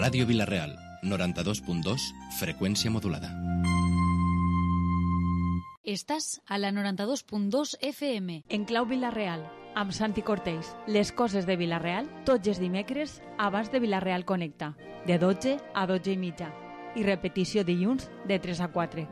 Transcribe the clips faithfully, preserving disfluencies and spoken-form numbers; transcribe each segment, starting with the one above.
Ràdio Vila-real, noranta-dos punt dos, freqüència modulada. Estàs a la noranta-dos punt dos F M. En clau Vila-real, amb Santi Cortells. Les coses de Vila-real, tots els dimecres, abans de Vila-real Connecta, de dotze a dotze i mitja. I repetició dilluns, de tres a quatre.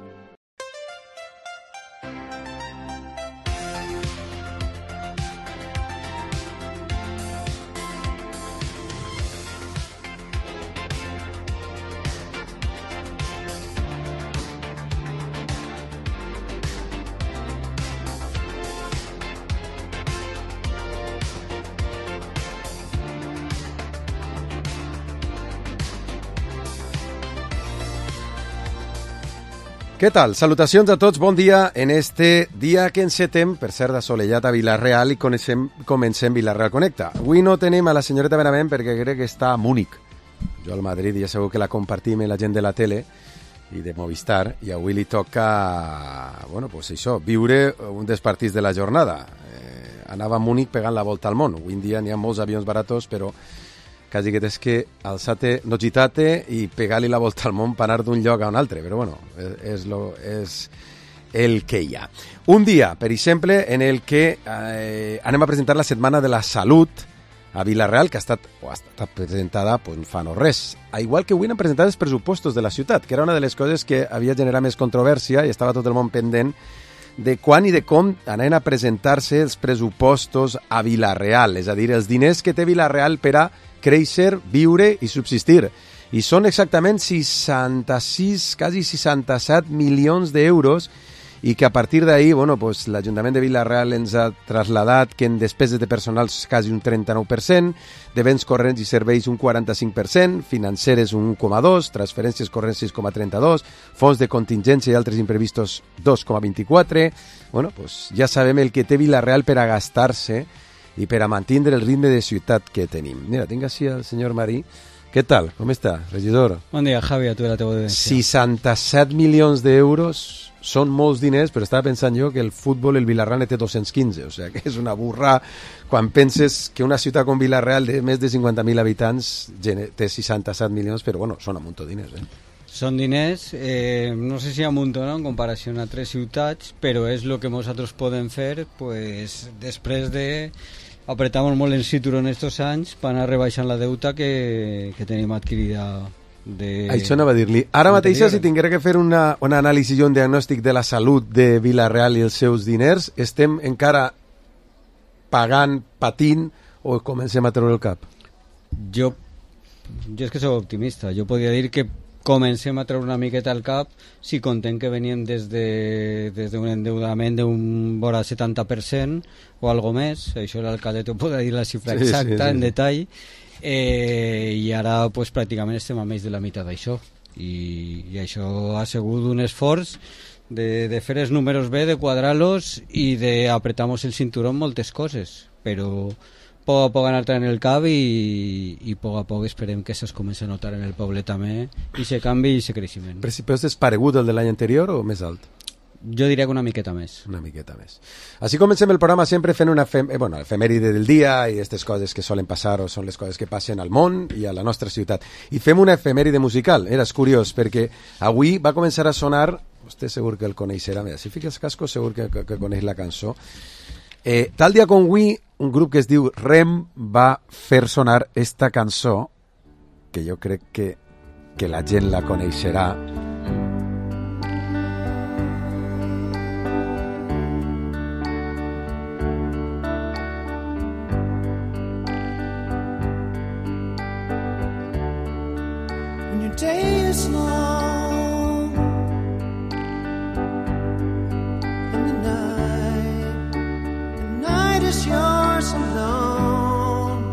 Què tal? Salutacions a tots, bon dia en este dia que encetem, per cert, assolellat a Vila-real i coneixem, comencem Vila-real Connecta. Avui no tenim a la senyoreta Benavent perquè crec que està a Múnich. Jo al Madrid ja segur que la compartim amb la gent de la tele i de Movistar, i avui li toca, bueno, pues això, viure un dels partits de la jornada. Eh, anava a Múnich pegant la volta al món. Avui en dia n'hi ha molts avions baratos, però quasi que tens que alçar-te, no gitar-te i pegar-li la volta al món per anar d'un lloc a un altre, però bueno, és, és, lo, és el que hi ha. Un dia, per exemple, en el que eh, anem a presentar la Setmana de la Salut a Vila-real, que ha estat, o ha estat presentada pues, fa no res. A igual que avui han presentat els pressupostos de la ciutat, que era una de les coses que havia generat més controvèrsia i estava tot el món pendent de quan i de com anaven a presentar-se els pressupostos a Vila-real, és a dir, els diners que té Vila-real per a créixer, viure i subsistir. I són exactament seixanta-sis, quasi seixanta-set milions d'euros, i que a partir d'ahir, bueno, pues, l'Ajuntament de Vila-real ens ha traslladat que en despeses de personal quasi un trenta-nou per cent, de béns corrents i serveis un quaranta-cinc per cent, financeres un un coma dos, transferències corrents sis coma trenta-dos, fons de contingència i altres imprevistos dos coma vint-i-quatre. Bueno, pues, ja sabem el que té Vila-real per a gastar-se i per a mantenir el ritme de ciutat que tenim. Mira, tinc així el senyor Marí. Què tal? Com està, regidor? Bon dia, Javi, a tu i la teva audiència. seixanta-set milions d'euros són molts diners, però estava pensant jo que el futbol, el Vila-real té dos-cents quinze, o sigui que és una burra quan penses que una ciutat com Vila-real de més de cinquanta mil habitants té seixanta-set milions, però bueno, són un munt de diners, eh? Són diners, eh, no sé si a munt o no, en comparació a altres ciutats, però és el que nosaltres podem fer pues, després de apretamos molt el cinturón estos anys per anar rebaixant la deuta que, que tenim adquirida de... Això anava a dir-li. Ara mateix, si tinguera que fer una, una anàlisi i un diagnòstic de la salut de Vila-real i els seus diners, estem encara pagant, patint, o comencem a treure el cap? Jo, jo és que soc optimista. Jo podria dir que comencem a treure una miqueta al cap si contem que venien des de, des d'un endeudament d'un vora setanta per cent o algo més, això l'alcalde t'ho podrà dir la xifra sí, exacta sí, sí. en detall, eh, i ara pues, pràcticament estem a més de la meitat d'això, i, i això ha sigut un esforç de, de fer els números bé, de quadrar-los i d'apretar-nos el cinturó en moltes coses, però a poc a poc anar en el cap i, i a poc a poc esperem que això es comenci a notar en el poble també, i se canvi i se creixement. Però si és paregut el de l'any anterior o més alt? Jo diria que una miqueta més. Una miqueta més. Així comencem el programa sempre fent una fem eh, bueno, efemèride del dia i aquestes coses que solen passar o són les coses que passen al món i a la nostra ciutat. I fem una efemèride musical. Era curiós perquè avui va començar a sonar, vostè segur que el coneixerà, si fica els cascos segur que, que, que coneix la cançó. Eh, tal dia com avui, un grup que es diu Rem va fer sonar esta cançó, que jo crec que, que la gent la coneixerà. When your day is long and the night, the night is yours alone.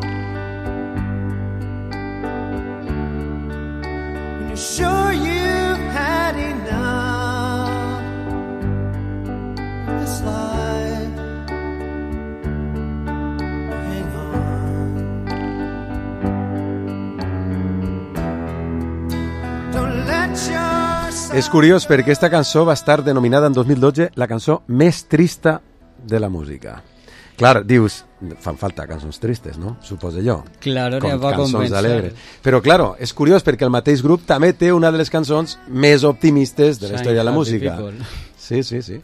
When you're sure you've had enough of this life, hang on. Don't let yourself... És curiós perquè aquesta cançó va estar denominada en dos mil dotze la cançó més trista de la música. Clar, dius, fan falta cançons tristes, no? Suposo jo. Claro, Com va cançons convencer. alegres. Però, claro, és curiós perquè el mateix grup també té una de les cançons més optimistes de la Shine història de la Happy música. People. Sí, sí, sí.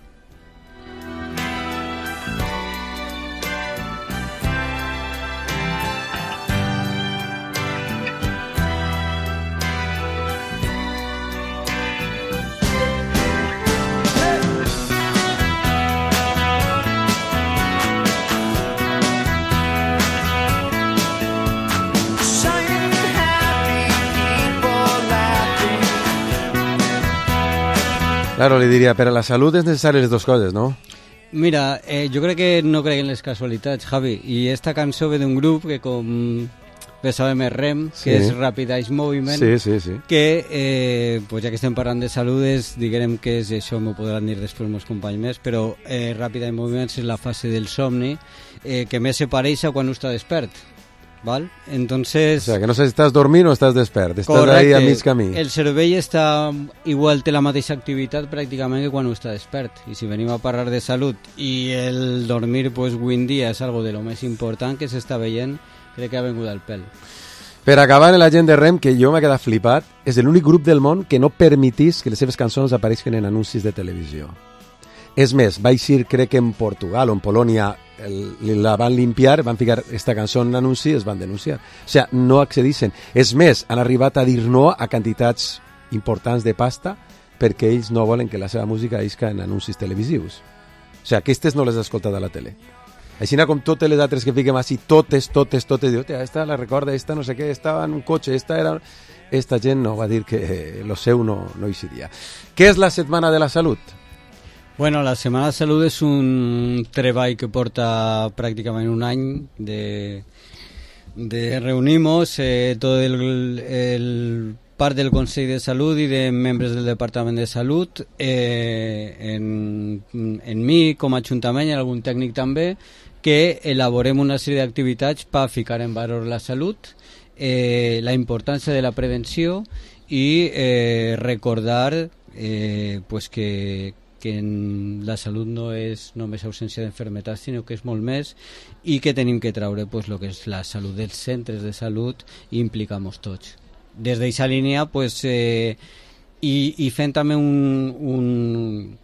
Shining happy people laughing. Claro, li diria, per a la salut és necessari les dues coses, no? Mira, eh, jo crec que no crec en les casualitats, Javi, i esta cançó ve d'un grup que com bé sabem és REM, que Sí. és Rapid Eye Movement, Sí, sí, sí. que, eh, pues ja que estem parlant de saludes, diguem que és això, m'ho podran dir després meus companys més, però eh, Rapid Eye Movement és la fase del somni eh, que més se pareix a quan està despert, val? Entonces... O sea, que no sé si estàs dormint o estàs despert, estàs ahí a mig camí. El cervell està igual, té la mateixa activitat pràcticament que quan està despert, i si venim a parlar de salut i el dormir, pues avui en dia és algo de lo més important que s'està veient, crec que ha vengut al pèl. Per acabar, la gent de REM, que jo m'he quedat flipat, és l'únic grup del món que no permetís que les seves cançons apareixen en anuncis de televisió. És més, va eixir, crec que en Portugal o en Polònia, el, la van limpiar, van ficar esta cançó en anunci i es van denunciar. O sigui, no accedissin. És més, han arribat a dir no a quantitats importants de pasta perquè ells no volen que la seva música isca en anuncis televisius. O sigui, aquestes no les has escoltat a la tele. Així com totes les altres que fiquem així, totes, totes, totes, diu, esta la recorda, esta no sé què, estava en un cotxe, esta era... Esta gent no va dir que eh, lo seu no, no eixiria. Què és la Setmana de la Salut? Bueno, la Setmana de Salut és un treball que porta pràcticament un any de, de reunimos eh, tot el, el part del Consell de Salut i de membres del Departament de Salut, eh, en, en mi com a Ajuntament i algun tècnic també, que elaborem una sèrie d'activitats per ficar en valor la salut, eh, la importància de la prevenció i eh, recordar eh, pues que, que en la salut no és només ausència d'enfermetats, sinó que és molt més, i que tenim que treure pues, lo que és la salut dels centres de salut i implicar-nos tots. Des d'aquesta línia, pues, eh, i, i fent també un, un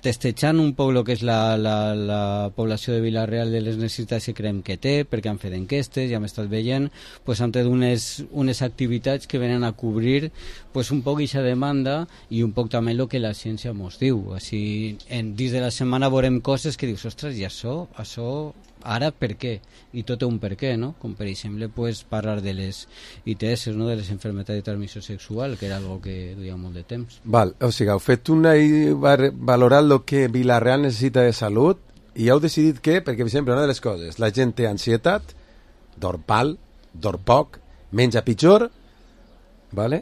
testejant un poc el que és la, la, la població de Vila-real de les necessitats que creiem que té, perquè han fet enquestes, ja hem estat veient, pues, han tret unes, unes activitats que venen a cobrir pues, un poc aquesta demanda i un poc també el que la ciència ens diu. Així, en, dins de la setmana veurem coses que dius, ostres, i això, això ara per què? I tot té un per què, no? Com per exemple pues, parlar de les I T S, no? De les enfermetats de transmissió sexual, que era algo que duia molt de temps. Val, o sigui, heu fet una i valorat el que Vila-real necessita de salut i heu decidit que, perquè, per exemple, una de les coses, la gent té ansietat, dorm mal, dorm poc, menja pitjor, vale?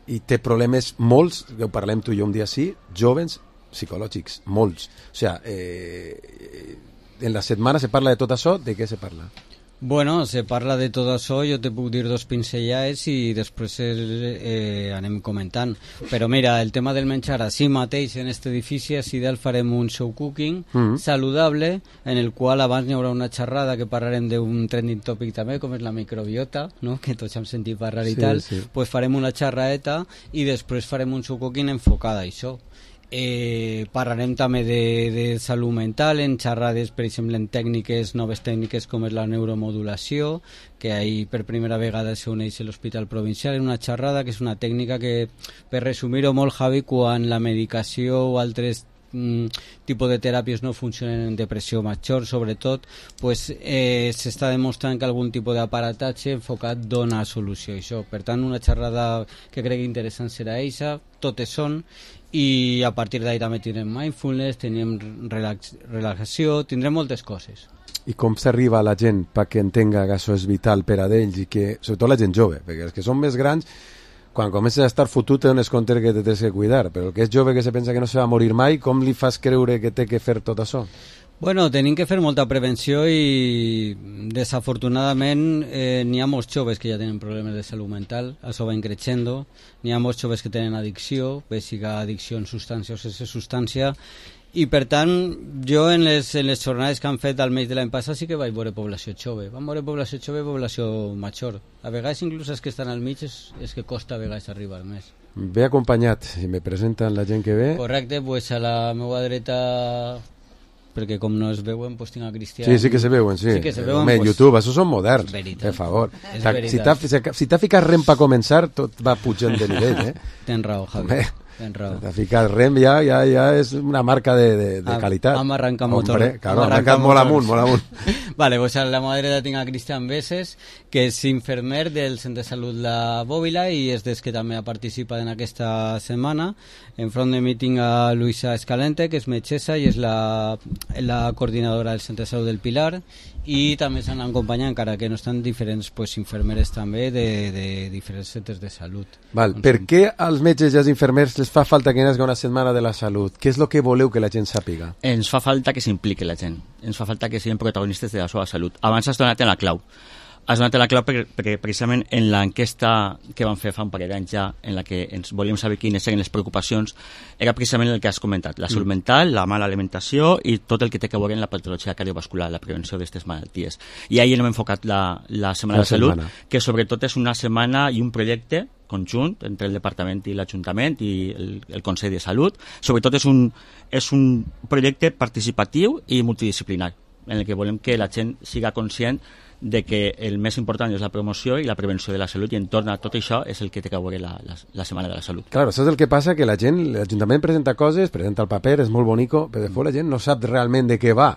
I té problemes molts, que ho parlem tu i jo un dia sí, jovens, psicològics, molts. O sigui, eh, en la setmana se parla de tot això, de què se parla? Bueno, se parla de tot això, jo te puc dir dos pinzellades i després eh, anem comentant. Però mira, el tema del menjar, així mateix en aquest edifici, així dalt farem un show cooking mm-hmm. saludable, en el qual abans hi haurà una xerrada que parlarem d'un trending topic també, com és la microbiota, no? Que tots hem sentit parlar i sí, tal, sí. Pues farem una xerradeta i després farem un show cooking enfocada a això. Eh, parlarem també de, de salut mental en xerrades, per exemple, en tècniques, noves tècniques com és la neuromodulació, que ahir per primera vegada s'uneix a l'Hospital Provincial en una xerrada que és una tècnica que, per resumir-ho molt, Javi, quan la medicació o altres mm, tipus de teràpies no funcionen en depressió major, sobretot, pues, eh, s'està demostrant que algun tipus d'aparatatge enfocat dona solució a això. Per tant, una xerrada que crec interessant serà eixa, totes són, i a partir d'ahí també tindrem mindfulness, tindrem relax, relaxació, tindrem moltes coses. I com s'arriba a la gent perquè entenga que això és vital per a d'ells i que, sobretot la gent jove, perquè els que són més grans, quan comences a estar fotut te dones compte que te tens que cuidar, però el que és jove que se pensa que no se va morir mai, com li fas creure que té que fer tot això? Bueno, tenim que fer molta prevenció i desafortunadament eh, n'hi ha molts joves que ja tenen problemes de salut mental, això va increixendo, n'hi ha molts joves que tenen addicció, bé siga addicció en substància o sense substància, I per tant, jo en les, en les jornades que han fet al mes de l'any passat sí que vaig veure població jove. Vam veure població jove i població major. A vegades inclús els que estan al mig és, és que costa a vegades arribar més. Ve acompanyat, si me presenten la gent que ve. Correcte, pues a la meva dreta, perquè com no es veuen, pues tinc a Cristian. Sí, sí que se veuen, sí. Sí que se veuen, Home, pues, YouTube, això són moderns. veritat. Per favor. És Ta- Si t'ha veritat. si t'ha ficat rem per començar, tot va pujant de nivell, eh? Tens raó, Javi. Home, Tens raó. t'ha ficat rem ja, ja, ja és una marca de, de, de Am- qualitat. am arrencat motor. Hombre, claro, Am ha arrencat arrencat molt motors. amunt, molt amunt. Vale, pues a la meva dreta tinc a Cristian Beses, que és infermer del Centre de Salut La Bòbila i és des que també ha participat en aquesta setmana. Enfront de mi tinc a Luisa Escalente, que és metgessa i és la, la coordinadora del Centre de Salut del Pilar, i també s'han acompanyat, encara que no estan diferents pues, infermeres també de, de diferents centres de salut. Val, Doncs per què als metges i als infermers les fa falta que n'hi una setmana de la salut? Què és el que voleu que la gent sàpiga? Ens fa falta que s'impliqui la gent, ens fa falta que siguin protagonistes de la seva salut. Abans has donat en la clau. Has donat en la clau perquè, perquè precisament en l'enquesta que vam fer fa un parell d'anys ja, en la que ens volíem saber quines eren les preocupacions, era precisament el que has comentat, la salut mental, la mala alimentació i tot el que té a veure amb la patologia cardiovascular, la prevenció d'aquestes malalties. I ahir hem enfocat la, la Setmana La de Salut, setmana. que sobretot és una setmana i un projecte conjunt entre el Departament i l'Ajuntament i el, el Consell de Salut. Sobretot és un, és un projecte participatiu i multidisciplinar, en el que volem que la gent siga conscient de que el més important és la promoció i la prevenció de la salut, i entorn a tot això és el que té a veure la, la, la Setmana de la Salut. Claro, això és el que passa, que la gent, l'Ajuntament presenta coses, presenta el paper, és molt bonico, però després la gent no sap realment de què va.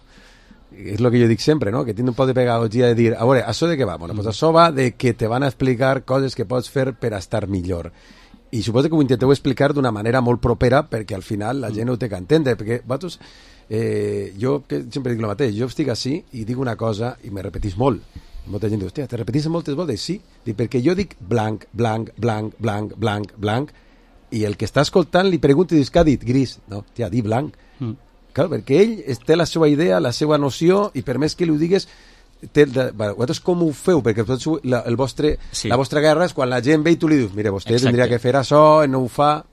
És el que jo dic sempre, no? Que tinc un poc de pedagogia de dir, a veure, això de què va? Bueno, pues això va de que te van a explicar coses que pots fer per a estar millor. I suposo que ho intenteu explicar d'una manera molt propera perquè al final la gent ho té que entendre, perquè vosaltres, eh, jo que sempre dic el mateix, jo estic així i dic una cosa i me repetís molt. Molta gent diu, hòstia, te repetís moltes voltes? Sí, dic, perquè jo dic blanc, blanc, blanc, blanc, blanc, blanc, i el que està escoltant li pregunta i dius, què ha dit? Gris. No, tia, di blanc. Mm. Clar, perquè ell té la seva idea, la seva noció, i per més que li ho digues, té, de, bueno, vosaltres com ho feu? Perquè vosaltres, la, el vostre, Sí. la vostra guerra és quan la gent ve i tu li dius, mira, vostè Exacte. tindria que fer això, no ho fa...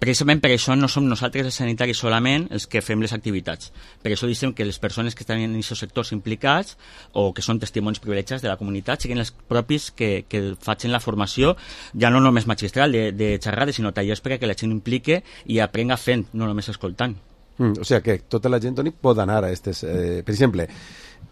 Precisament per això no som nosaltres els sanitaris solament els que fem les activitats. Per això dicem que les persones que estan en aquests sectors implicats o que són testimonis privilegiats de la comunitat siguin els propis que, que facin la formació, ja no només magistral de, de xerrades, sinó tallers perquè la gent implique i aprenga fent, no només escoltant. Mm, o sigui que tota la gent, Toni, pot anar a aquestes... Eh, per exemple,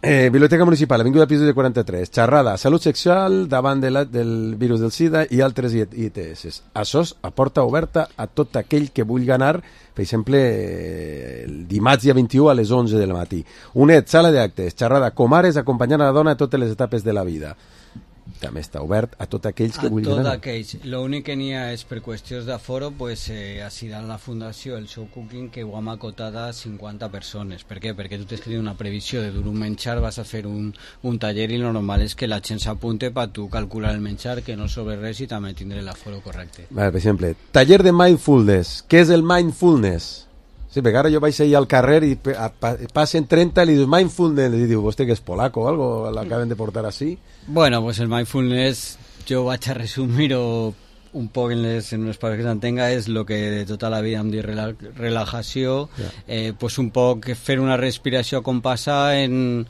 eh, Biblioteca Municipal, Avinguda Pisos de quaranta-tres, xerrada, salut sexual davant de la, del virus del SIDA i altres I T S. Això és a porta oberta a tot aquell que vulgui anar, per exemple, eh, el dimarts dia vint-i-u a les onze del matí. UNED, sala d'actes, xerrada, comares acompanyant a la dona a totes les etapes de la vida. També està obert a tots aquells que A vulguin tot anar. aquells. L'únic que n'hi ha és per qüestions d'aforo, pues, eh, així dalt la fundació, el show cooking, que ho hem acotat a cinquanta persones. Per què? Perquè tu tens que tenir una previsió de dur un menjar, vas a fer un, un taller i el normal és que la gent s'apunte per tu calcular el menjar, que no sobre res i també tindré l'aforo correcte. Vale, per exemple, taller de mindfulness. Què és el mindfulness? Sí, perquè ara jo vaig ahir al carrer i pe- a- pa- passen trenta i li dius mindfulness i diu, vostè que és polaco o algo, l'acaben de portar així. Bueno, pues el mindfulness, jo vaig a resumir-ho un poc en les, en les paraules que s'entenga, és el que de tota la vida hem dit rela relajació, Ja. eh, pues un poc fer una respiració compassada en,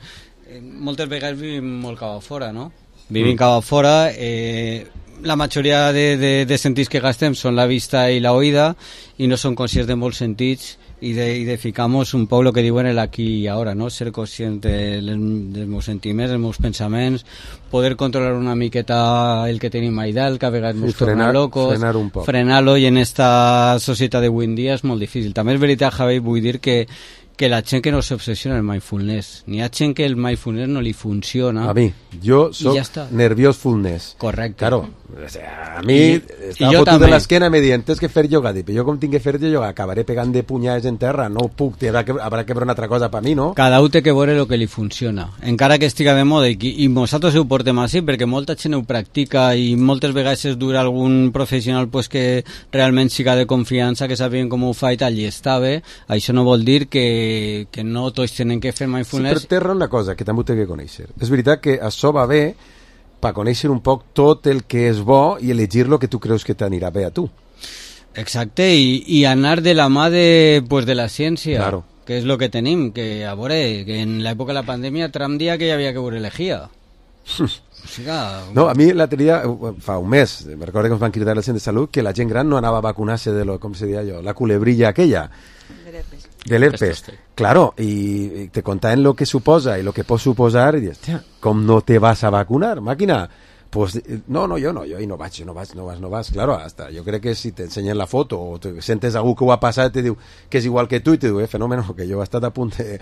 en... Moltes vegades vivim molt cap a fora, no? Vivim Mm. cap a fora, eh, la majoria de, de, de sentits que gastem són la vista i la oïda i no són conscients de molts sentits i de, i de ficar-nos un poc el que diuen el aquí i ara, no? Ser conscient de, dels meus sentiments, dels meus pensaments, poder controlar una miqueta el que tenim allà dalt, que a vegades Sí, ens torna frenar- locos, frenar un poc. frenar-lo, i en esta societat d'avui en dia és molt difícil. També és veritat, Javi, vull dir que que la gent que no s'obsessiona el mindfulness. N'hi ha gent que el mindfulness no li funciona. A mi, jo soc ja està. nerviosfulness. Correcte. Claro, o sea, a mi I- està i jo fotut de també. l'esquena i me diuen, tens que fer yoga. Dic, però jo com tinc que fer yoga, acabaré pegant de punyades en terra, no puc, haurà que, haurà que veure una altra cosa per mi, no? Cada un té que veure el que li funciona, encara que estiga de moda, i, i nosaltres ho portem així perquè molta gent ho practica i moltes vegades es dura algun professional pues, que realment siga de confiança, que sàpiguen com ho fa i tal, i està bé. Això no vol dir que, que no tots tenen que fer Sí, mindfulness. però té raó una cosa, que també ho té que conèixer. És veritat que això va bé per conèixer un poc tot el que és bo i elegir lo que tu creus que t'anirà bé a tu. Exacte, i, i anar de la mà de, pues, de la ciència, Claro. que és el que tenim, que a veure, que en l'època de la pandèmia Trump dia que hi havia que veure l'elegida. O sigui, No, a mi l'altre dia, eh, fa un mes, me recordo que ens van cridar al centre de salut que la gent gran no anava a vacunar-se de lo, com se diria jo, la culebrilla aquella. Del herpes. Claro, y te contaban lo que suposa y lo que puede suposar y dices, hostia, ¿cómo no te vas a vacunar, máquina? Pues eh, no, no, jo no, jo ahí no vaig, no vas, no vas, no vas. Claro, hasta jo crec que si t'ensenyen la foto o te sentes algú que ho ha passat te diu que és igual que tu i te diu, eh, fenómeno, que jo he estat a punt de-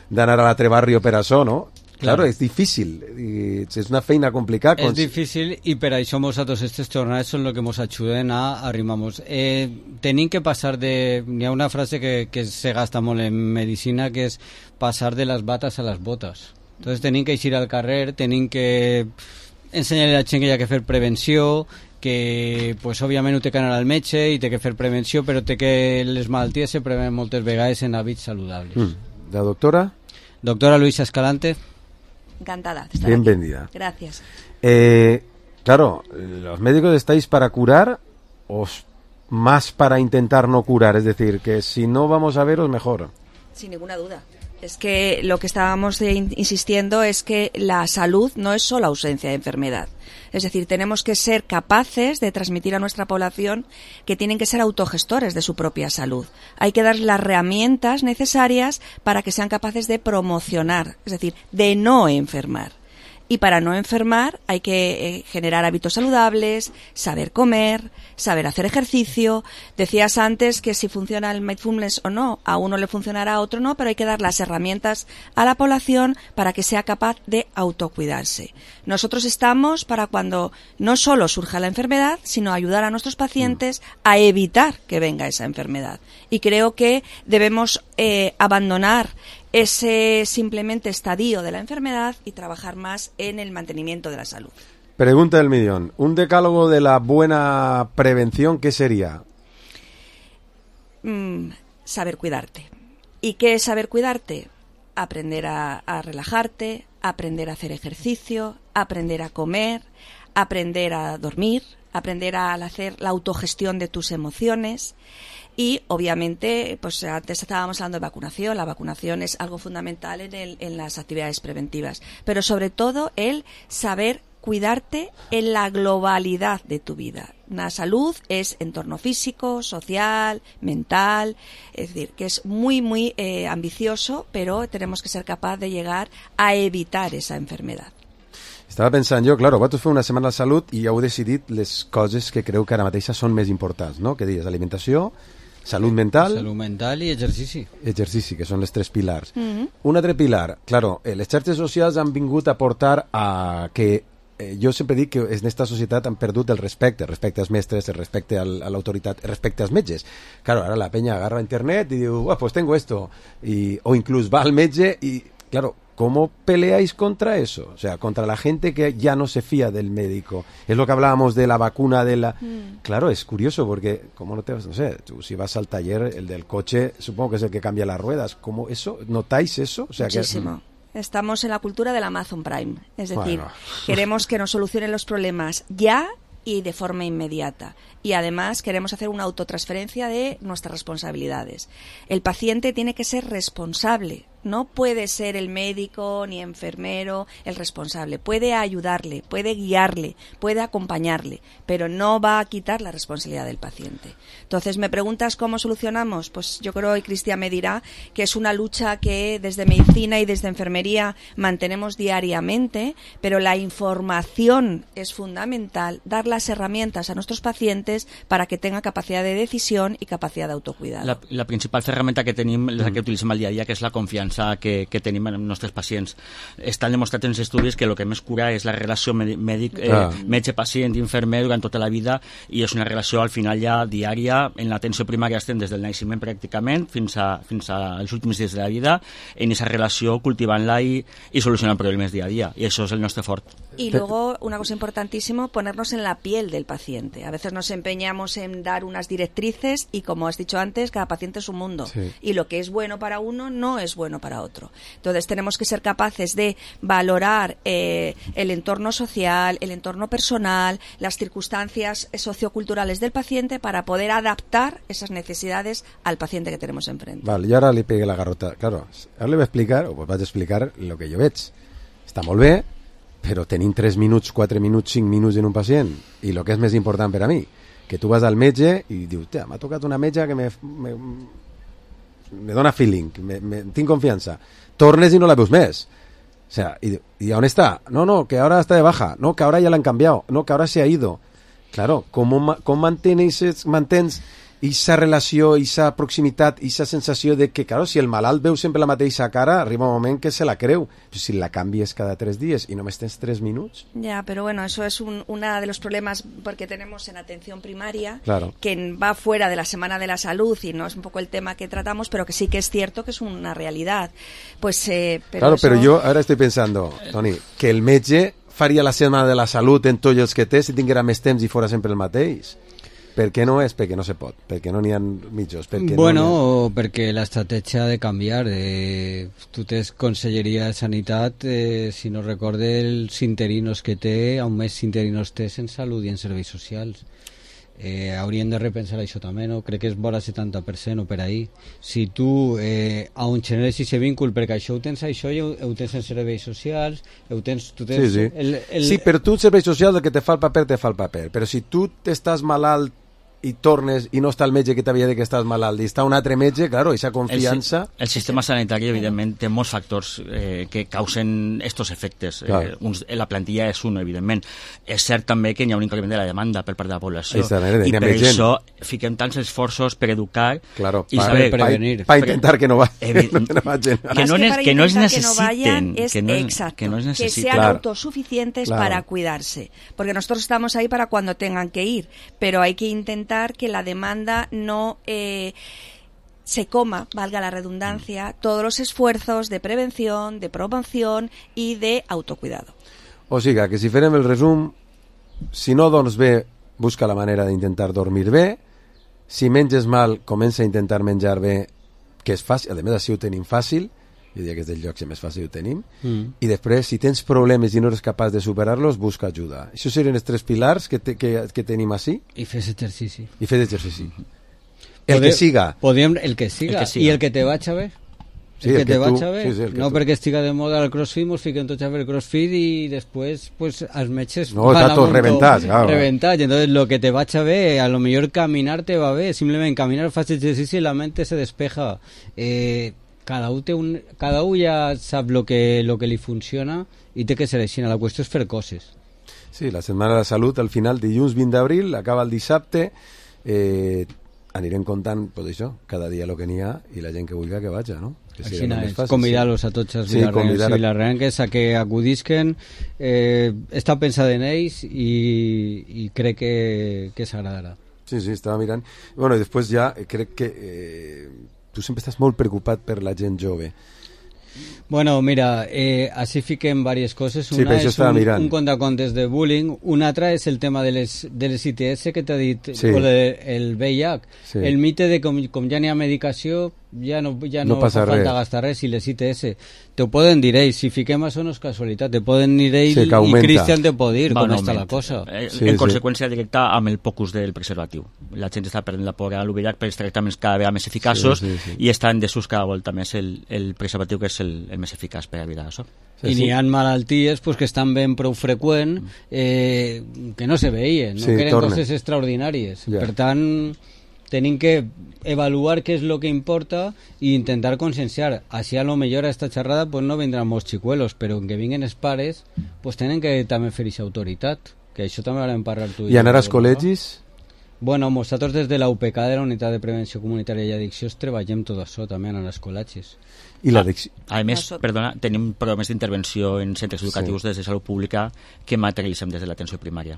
d'anar a l'altre barrio per això, no? Claro, Claro. és difícil, i és una feina complicada. és difícil i per això nosaltres aquestes jornades són el que ens ajuden a arrimar-nos. Eh, tenim que passar de... Hi ha una frase que, que se gasta molt en medicina que és passar de les bates a les botes. Entonces tenim que eixir al carrer, tenim que ensenyar a la gent que hi ha que fer prevenció, que pues, òbviament ho té que anar al metge i té que fer prevenció, però té que les malalties se prevenen moltes vegades en hàbits saludables. Mm. La doctora, Doctora Luisa Escalante. Encantada de estar bienvenida. aquí. Gracias. Eh, claro, ¿los médicos estáis para curar o s- más para intentar no curar? Es decir, que si no vamos a veros, mejor. Sin ninguna duda. Es que lo que estábamos eh, in- insistiendo es que la salud no es solo ausencia de enfermedad. Es decir, tenemos que ser capaces de transmitir a nuestra población que tienen que ser autogestores de su propia salud. Hay que dar las herramientas necesarias para que sean capaces de promocionar, es decir, de no enfermar. Y para no enfermar hay que eh, generar hábitos saludables, saber comer, saber hacer ejercicio. Decías antes que si funciona el mindfulness o no, a uno le funcionará, a otro no, pero hay que dar las herramientas a la población para que sea capaz de autocuidarse. Nosotros estamos para cuando no solo surja la enfermedad, sino ayudar a nuestros pacientes a evitar que venga esa enfermedad. Y creo que debemos eh, abandonar ese simplemente estadio de la enfermedad y trabajar más en el mantenimiento de la salud. Pregunta del millón. Un decálogo de la buena prevención, ¿qué sería? Mm, saber cuidarte. ¿Y qué es saber cuidarte? Aprender a, a relajarte, aprender a hacer ejercicio, aprender a comer, aprender a dormir, aprender a hacer la autogestión de tus emociones. Y, obviamente, pues antes estábamos hablando de vacunación. La vacunación es algo fundamental en, el, en las actividades preventivas. Pero, sobre todo, el saber cuidarte en la globalidad de tu vida. La salud es entorno físico, social, mental. Es decir, que es muy, muy eh, ambicioso, pero tenemos que ser capaces de llegar a evitar esa enfermedad. Estava pensant jo, claro, vosaltres feu una setmana de salut i heu decidit les coses que creu que ara mateixa són més importants, no? Què dius? Alimentació, salut mental... Salut mental i exercici. Exercici, que són les tres pilars. Mm-hmm. Un altre pilar, claro, eh, les xarxes socials han vingut a portar a que eh, jo sempre dic que en esta societat han perdut el respecte, el respecte als mestres, el respecte al, a l'autoritat, el respecte als metges. Claro, ara la peña agarra internet y diu, pues tengo esto, y, o incluso va al metge y, claro, ¿cómo peleáis contra eso? O sea, contra la gente que ya no se fía del médico. Es lo que hablábamos de la vacuna de la... Mm. Claro, es curioso porque, ¿cómo no te vas? No sé, tú si vas al taller, el del coche, supongo que es el que cambia las ruedas. ¿Cómo eso? ¿Notáis eso? O sea, Muchísimo. Que... Estamos en la cultura del Amazon Prime. Es decir, bueno. queremos que nos solucionen los problemas ya y de forma inmediata. Y además queremos hacer una autotransferencia de nuestras responsabilidades. El paciente tiene que ser responsable. No puede ser el médico ni enfermero el responsable. Puede ayudarle, puede guiarle, puede acompañarle, pero no va a quitar la responsabilidad del paciente. Entonces, ¿me preguntas cómo solucionamos? Pues yo creo, y Cristian me dirá, que es una lucha que desde medicina y desde enfermería mantenemos diariamente, pero la información es fundamental, dar las herramientas a nuestros pacientes para que tengan capacidad de decisión y capacidad de autocuidado. La, la principal ferramenta que tenim, la que utilitzem al dia a dia, que és la confiança que, que tenim en els nostres pacients. Estan demostrat en els estudis que el que més cura és la relació mèdic, eh, ah. metge-pacient i infermer durant tota la vida, i és una relació al final ja diària. En l'atenció primària estem des del naixement pràcticament fins, a, fins als últims dies de la vida, en aquesta relació cultivant-la i, i solucionant problemes dia a dia, i això és el nostre fort. Y luego, una cosa importantísima, ponernos en la piel del paciente. A veces nos empeñamos en dar unas directrices y, como has dicho antes, cada paciente es un mundo. Sí. Y lo que es bueno para uno no es bueno uno para otro. Entonces tenemos que ser capaces de valorar eh, el entorno social, el entorno personal, las circunstancias socioculturales del paciente para poder adaptar esas necesidades al paciente que tenemos enfrente. Vale, jo ara li pegué la garrota. Claro, ara li vaig explicar, o vaig explicar el que jo veig. Està molt bé, però tenim tres minuts, quatre minuts, cinc minuts en un pacient. I el que és més important per a mi, que tu vas al metge i dius, tia, m'ha tocat una metge que me, me, me dona feeling, me, me, tinc confiança. Tornes i no la veus més. O sea, ¿y, ¿y on está? No, no, que ahora está de baja. No, que ahora ya la han cambiado. No, que ahora se ha ido. Claro, ¿cómo, cómo mantens, mantens esa relació, esa proximitat, esa sensació de que, claro, si el malalt veu sempre la mateixa cara, arriba un moment que se la creu. Però si la canvies cada tres días y només tens tres minuts... Ya, pero bueno, eso es un, uno de los problemas porque tenemos en atención primaria, claro, que va fuera de la Semana de la Salud y no es un poco el tema que tratamos, pero que sí que es cierto que es una realidad. Pues, eh, pero claro, eso... pero yo ahora estoy pensando, Toni, que el metge faria la Setmana de la Salut en tots els que té si tinguera més temps i fora sempre el mateix. Per què no és? Perquè no se pot, perquè no n'hi ha mitjos. Perquè bueno, no o perquè l'estratègia ha de canviar. De... Tu tens Conselleria de Sanitat, eh, si no recorde, els interinos que té, a un mes interinos té en Salut i en Serveis Socials. Eh, haurien de repensar això també, no? Crec que és vora setanta per cent o per ahí. Si tu eh, a un generes aquest vínculo, perquè això ho tens això i ho, ho tens en Serveis Socials, ho tens... Tu tens sí, sí. El, el... sí, però tu en Serveis Socials el que te fa el paper, te fa el paper. Però si tu estàs malalt i tornes i no està el metge que t'havia dit que estàs malalt i està un altre metge, claro, aquesta confiança... El, el sistema sanitari, evidentment, té molts factors eh, que causen estos efectes. Claro. Eh, uns, la plantilla és un, evidentment. És cert també que hi ha un increment de la demanda per part de la població. Esta manera, I per gent. això fiquem tants esforços per educar claro, i para saber... prevenir. Para intentar que no va, Evi... que no vagin. Que no, que, es, que no es necesiten. Que no vayan, es que no es, exacto, que no es que necesiten. sean Claro. autosuficientes Claro. para cuidarse. Porque nosotros estamos ahí para cuando tengan que ir, pero hay que intentar que la demanda no eh, se coma, valga la redundancia, todos los esfuerzos de prevención, de promoción y de autocuidado. O sigui, que si farem el resum, si no dorms bé, busca la manera d'intentar dormir bé, si menges mal, comença a intentar menjar bé, que és fàcil, a més així ho tenim fàcil, jo diria que és dels llocs que més fàcil ho tenim, mm. i després, si tens problemes i no eres capaç de superar-los, busca ajuda. Això serien els tres pilars que, te, que, que tenim així. I fes exercici. I fes exercici. El Podem, que siga. Podem, el que siga. El que siga. I el que te vaig a ver. Sí, el que el que te vaig tu- a ver. sí, sí, el que no tu- perquè estiga de moda el crossfit, mos fiquem tots a fer crossfit i després pues, els metges No, van està a tot un reventats, claro. reventats. Entonces lo que te vaig a ver, a lo mejor caminar te va bé, simplement caminar, fas exercici i la mente se despeja. Eh, cada un, té un, cada un ja sap lo que, lo que li funciona i té que ser així. La qüestió és fer coses. Sí, la Setmana de la Salut, al final, dilluns vint d'abril, acaba el dissabte, eh, anirem contant, pues això, cada dia el que n'hi ha i la gent que vulgui que vaja, no? Que Així sigui el més és, fàcil, convidar-los a tots els Sí, vilarrencs convidar a- i vilarrenques a que acudisquen. Eh, està pensat en ells i, i crec que, que s'agradarà. Sí, sí, estava mirant. Bueno, i després ja eh, crec que eh, tu sempre estàs molt preocupat per la gent jove. Bueno, mira, eh, així fiquem diverses coses. Sí, Una per això és estava un, mirant. un contacontes de bullying, una altra és el tema de les, de les I T S que t'ha dit, Sí. o de, el V I H. Sí. El mite de com, com ja n'hi ha medicació, ja no, ja No no, passa fa falta res. gastar res, i les I T S te ho poden dir ells, si fiquem això no és casualitat, te poden dir ells Sí, que i augmenta. Cristian te pot dir Va com en està la augment. cosa. Eh, Sí, en sí. conseqüència directa amb el pocus del preservatiu. La gent està perdent la por a l'U V I H per els tractaments cada vegada més eficaços Sí, sí, sí. i està en desús cada volta més el, el preservatiu, que és el, el més eficaç per evitar això. Sí, I sí. n'hi ha malalties pues, que estan ben prou freqüent eh, que no se veien, no? Sí, que eren tornen. coses extraordinàries. Ja. Per tant, tenim que evaluar què és el que importa i intentar conscienciar. Així a lo millor a esta xerrada pues, no vendran molts xicuelos, però en que vinguin els pares pues, tenen que també fer aquesta autoritat, que això també ho vam parlar tu I anar jo, als col·legis? Bueno, nosaltres des de la U P C A, de la Unitat de Prevenció Comunitària i Addiccions, treballem tot això també en els col·legis. I l'addicció? A més, Nosotros- perdona, tenim programes d'intervenció en centres educatius des de salut pública que materialitzem des de l'atenció primària.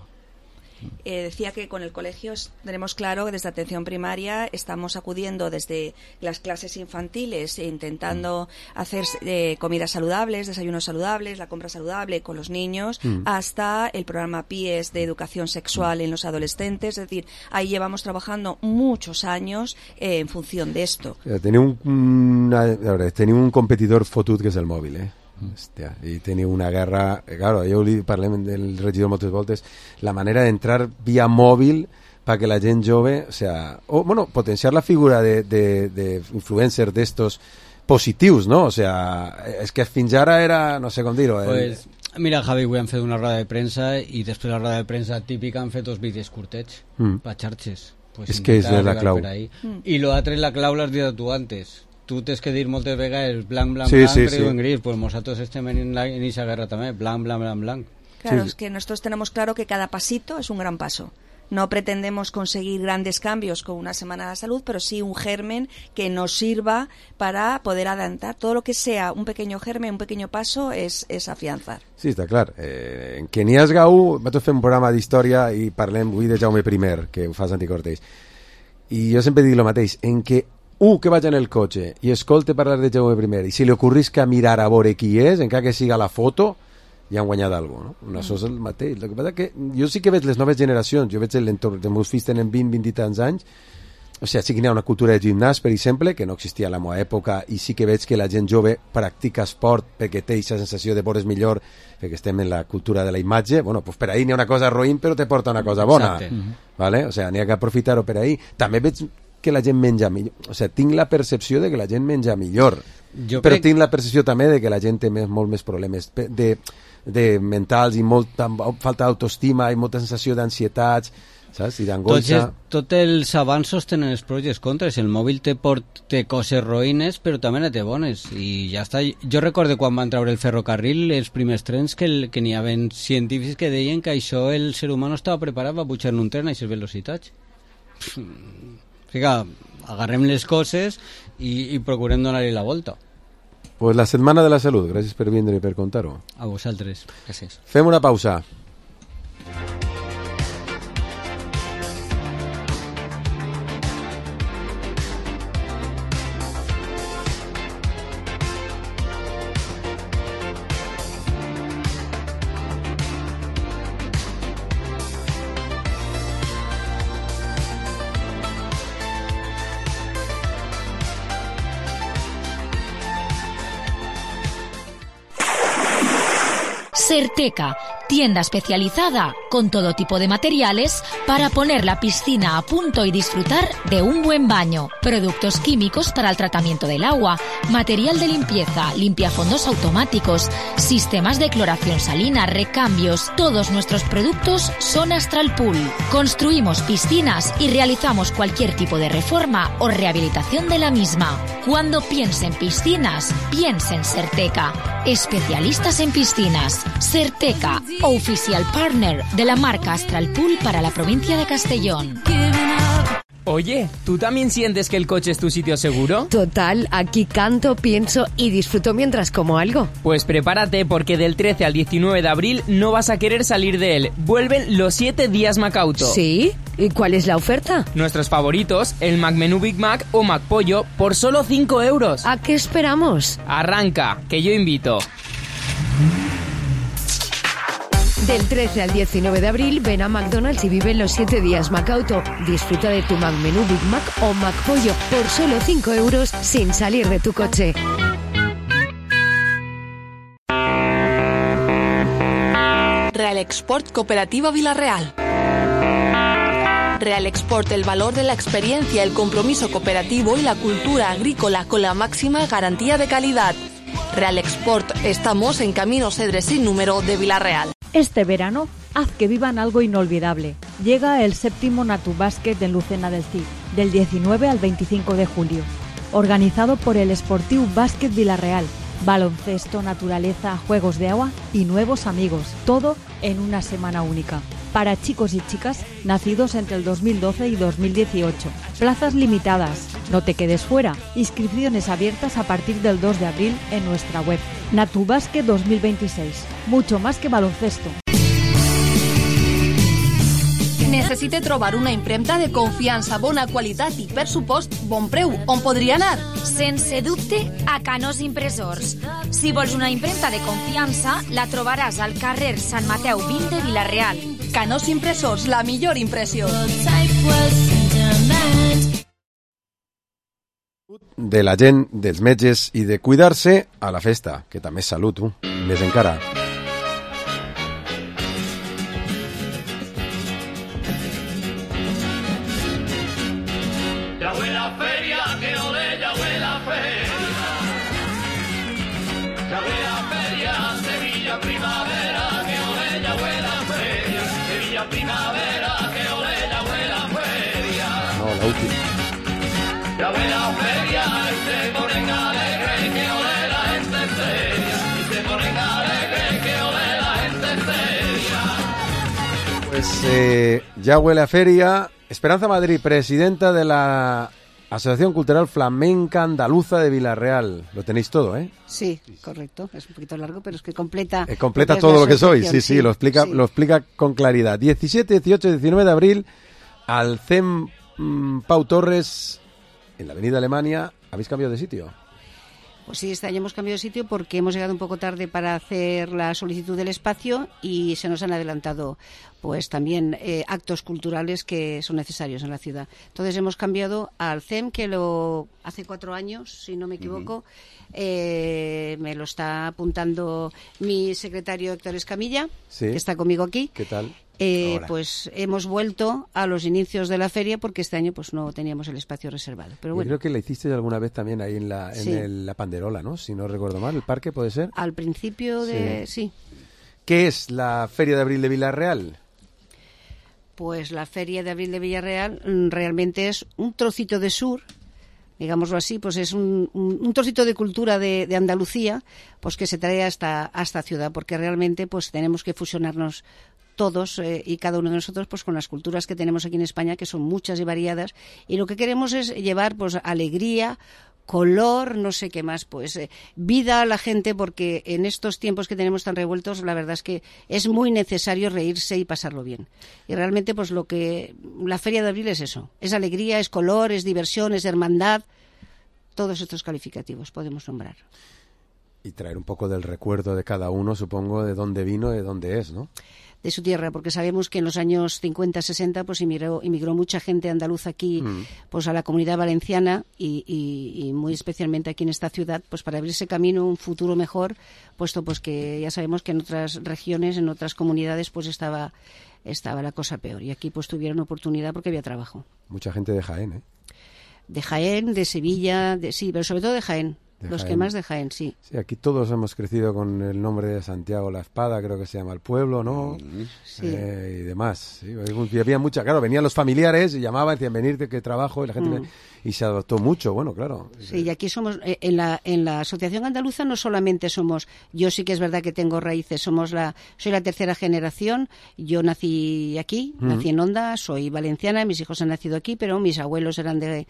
Eh, decía que con el colegio es- tenemos claro que desde atención primaria estamos acudiendo desde las clases infantiles e intentando hacer eh, comidas saludables, desayunos saludables, la compra saludable con los niños, Mm. hasta el programa P I E S de educación sexual en los adolescentes. Es decir, ahí llevamos trabajando muchos años eh, en función de esto. Eh, Teniu un, una, a veure, teniu un competidor fotut que és el mòbil, eh? Hòstia, i teniu una guerra... eh, Claro, jo li parlem del regidor moltes voltes, la manera d'entrar via mòbil para que la gent jove, o sea, o, bueno, potenciar la figura de, de, de influencers d'estos positius, no? O sea, és que fins ara era, no sé com dir-ho... el- Pues, mira, Javi, avui han fet una roda de premsa i després la roda de premsa típica han fet dos vídeos curtets Mm. per xarxes. Pues És que és intentar la arribar clau. per ahí. I lo altre, la clau l'has dit tu antes. Tu tens que dir moltes vegades blanc, blanc, Sí, blanc, sí, gris sí. o en gris. Pues nosaltres estem en la- en esa guerra també, blanc, blanc, blanc, blanc. Claro, Sí. es que nosotros tenemos claro que cada pasito es un gran paso. No pretendemos conseguir grandes cambios con una semana de la salud, pero sí un germen que nos sirva para poder adelantar. Todo lo que sea un pequeño germen, un pequeño paso, es, es afianzar. Sí, està clar. Eh, en Kenias Gau, nosaltres fem un programa d'història i parlem avui de Jaume I, que ho fa Santi Cortés. I jo sempre dic el mateix, en què un que vaig en el cotxe i escolte parlar de Jaume I i si li ocorrisca mirar a veure qui és, encara que siga la foto, ja han guanyat alguna cosa, no? No, això és el mateix. El que passa que jo sí que veig les noves generacions, jo veig l'entorn, els meus fills tenen vint, vint i tants anys, o sigui, sí que hi ha una cultura de gimnàs, per exemple, que no existia a la meva època, i sí que veig que la gent jove practica esport perquè té aquesta sensació de veure's millor, perquè estem en la cultura de la imatge. Bueno, pues per ahí n'hi ha una cosa roïn, però te porta una cosa bona. Exacte. ¿Vale? O sea, n'hi ha que aprofitar-ho per ahí. També veig que la gent menja millor. O sea, tinc la percepció de que la gent menja millor. Jo Però crec- tinc la percepció també de que la gent té més, molt més problemes pe- de, de mentals i molta falta d'autoestima i molta sensació d'ansietats, saps? I Tots, d'angoixa. els- tots els avanços tenen els pros i els contres. El mòbil te port té coses roïnes, però també ne té bones. I ja està. Jo recordo quan van treure el ferrocarril, els primers trens, que, el, que n'hi havia científics que deien que això el ser humà no estava preparat per pujar en un tren a aquestes velocitats. O sigui, agarrem les coses i, i procurem donar-hi la volta. Pues la setmana de la salut. Gràcies per vindre i per contar-ho. A vosaltres. Gràcies. Fem una pausa. Certeca, tienda especializada con todo tipo de materiales para poner la piscina a punto y disfrutar de un buen baño. Productos químicos para el tratamiento del agua, material de limpieza, limpiafondos automáticos, sistemas de cloración salina, recambios. Todos nuestros productos son Astral Pool. Construimos piscinas y realizamos cualquier tipo de reforma o rehabilitación de la misma. Cuando piense en piscinas, piense en Certeca. Especialistas en piscinas. Certeca, oficial partner de la marca Astral Pool para la provincia de Castellón. Oye, ¿tú también sientes que el coche es tu sitio seguro? Total, aquí canto, pienso y disfruto mientras como algo. Pues prepárate porque del trece al diecinueve de abril no vas a querer salir de él. Vuelven los siete días Macauto. ¿Sí? ¿Y cuál es la oferta? Nuestros favoritos, el Mac Menú Big Mac o Mac Pollo, por solo cinco euros. ¿A qué esperamos? Arranca, que yo invito. Del trece al diecinueve de abril ven a McDonald's y vive los siete días Macauto. Disfruta de tu Mac Menú Big Mac o Mac Pollo por solo cinco euros sin salir de tu coche. Real Export Cooperativa Villarreal. Real Export, el valor de la experiencia, el compromiso cooperativo y la cultura agrícola con la máxima garantía de calidad. Real Export, estamos en Camino Cedres sin número de Villarreal. Este verano, haz que vivan algo inolvidable. Llega el séptimo Natu Basket en Lucena del Cid, del diecinueve al veinticinco de julio. Organizado por el Sportiu Básquet Villarreal. Baloncesto, naturaleza, juegos de agua y nuevos amigos. Todo en una semana única. Para chicos y chicas nacidos entre el dos mil doce y dos mil dieciocho. Plazas limitadas. No te quedes fuera. Inscripciones abiertas a partir del dos de abril en nuestra web. Natu Basket dos mil veintiséis. Mucho más que baloncesto. Necessita trobar una impremta de confiança, bona qualitat i, per supost, bon preu. On podria anar? Sense dubte, a Canós Impressors. Si vols una impremta de confiança, la trobaràs al carrer Sant Mateu vint de Vila-real. Canós Impressors, la millor impressió. De la gent, dels metges i de cuidar-se a la festa, que també és salut, tu, més encara. Ya huele a feria, que ole, ya huele a feria. Ya huele a feria, Sevilla primavera, que ole, ya huele a feria. Sevilla primavera, que ole, ya huele a feria. No, la última. Ya huele a feria, y se ponen alegres, que ole la gente seria. Y se ponen alegres, que ole la gente seria. Pues eh, ya huele a feria. Esperanza Madrid, presidenta de la Asociación Cultural Flamenca Andaluza de Vila-real. Lo tenéis todo, ¿eh? Sí, correcto. Es un poquito largo, pero es que completa... Eh, completa lo que es todo la lo que sois, sí, asociación, sí, lo explica, sí. lo explica con claridad. diecisiete, dieciocho, diecinueve de abril, al C E M mm, Pau Torres, en la avenida Alemania. ¿Habéis cambiado de sitio? Pues sí, este año hemos cambiado de sitio porque hemos llegado un poco tarde para hacer la solicitud del espacio y se nos han adelantado pues también eh, actos culturales que son necesarios en la ciudad. Entonces hemos cambiado al C E M, que lo hace cuatro años, si no me equivoco, uh-huh. eh, me lo está apuntando mi secretario Héctor Escamilla, sí. que está conmigo aquí. ¿Qué tal? Eh, pues hemos vuelto a los inicios de la feria porque este año pues no teníamos el espacio reservado. Pero bueno. Yo creo que la hiciste alguna vez también ahí en la en sí. el, la Panderola, ¿no? Si no recuerdo mal, ¿el parque puede ser? Al principio de... sí. sí. ¿Qué es la Feria de Abril de Vila-real? Pues la Feria de Abril de Vila-real realmente es un trocito de sur, digámoslo así, pues es un, un, un trocito de cultura de, de Andalucía, pues que se trae hasta, hasta ciudad, porque realmente pues tenemos que fusionarnos todos eh, y cada uno de nosotros pues con las culturas que tenemos aquí en España, que son muchas y variadas, y lo que queremos es llevar pues alegría, color, no sé qué más, pues eh, vida a la gente, porque en estos tiempos que tenemos tan revueltos, la verdad es que es muy necesario reírse y pasarlo bien. Y realmente pues lo que la Feria de Abril es eso, es alegría, es color, es diversión, es hermandad, todos estos calificativos podemos nombrar. Y traer un poco del recuerdo de cada uno, supongo, de dónde vino y de dónde es, ¿no? De su tierra, porque sabemos que en los años cincuenta, sesenta pues inmigró, inmigró mucha gente andaluza aquí, mm. pues a la Comunidad Valenciana y, y, y muy especialmente aquí en esta ciudad, pues para abrirse camino un futuro mejor, puesto pues que ya sabemos que en otras regiones, en otras comunidades, pues estaba, estaba la cosa peor. Y aquí pues tuvieron oportunidad porque había trabajo. Mucha gente de Jaén, ¿eh? De Jaén, de Sevilla, de, sí, pero sobre todo de Jaén. De Los Jaén. Que más de Jaén, sí. Sí, aquí todos hemos crecido con el nombre de Santiago la Espada, creo que se llama el pueblo, ¿no? Sí. Eh, y demás. Sí. Y había mucha, claro, venían los familiares y llamaban, decían, venirte, que trabajo, y la gente... Mm. Y se adoptó mucho, bueno, claro. Sí, y aquí somos, eh, en la en la Asociación Andaluza no solamente somos, yo sí que es verdad que tengo raíces, somos la, soy la tercera generación, yo nací aquí, mm. nací en Onda, soy valenciana, mis hijos han nacido aquí, pero mis abuelos eran de...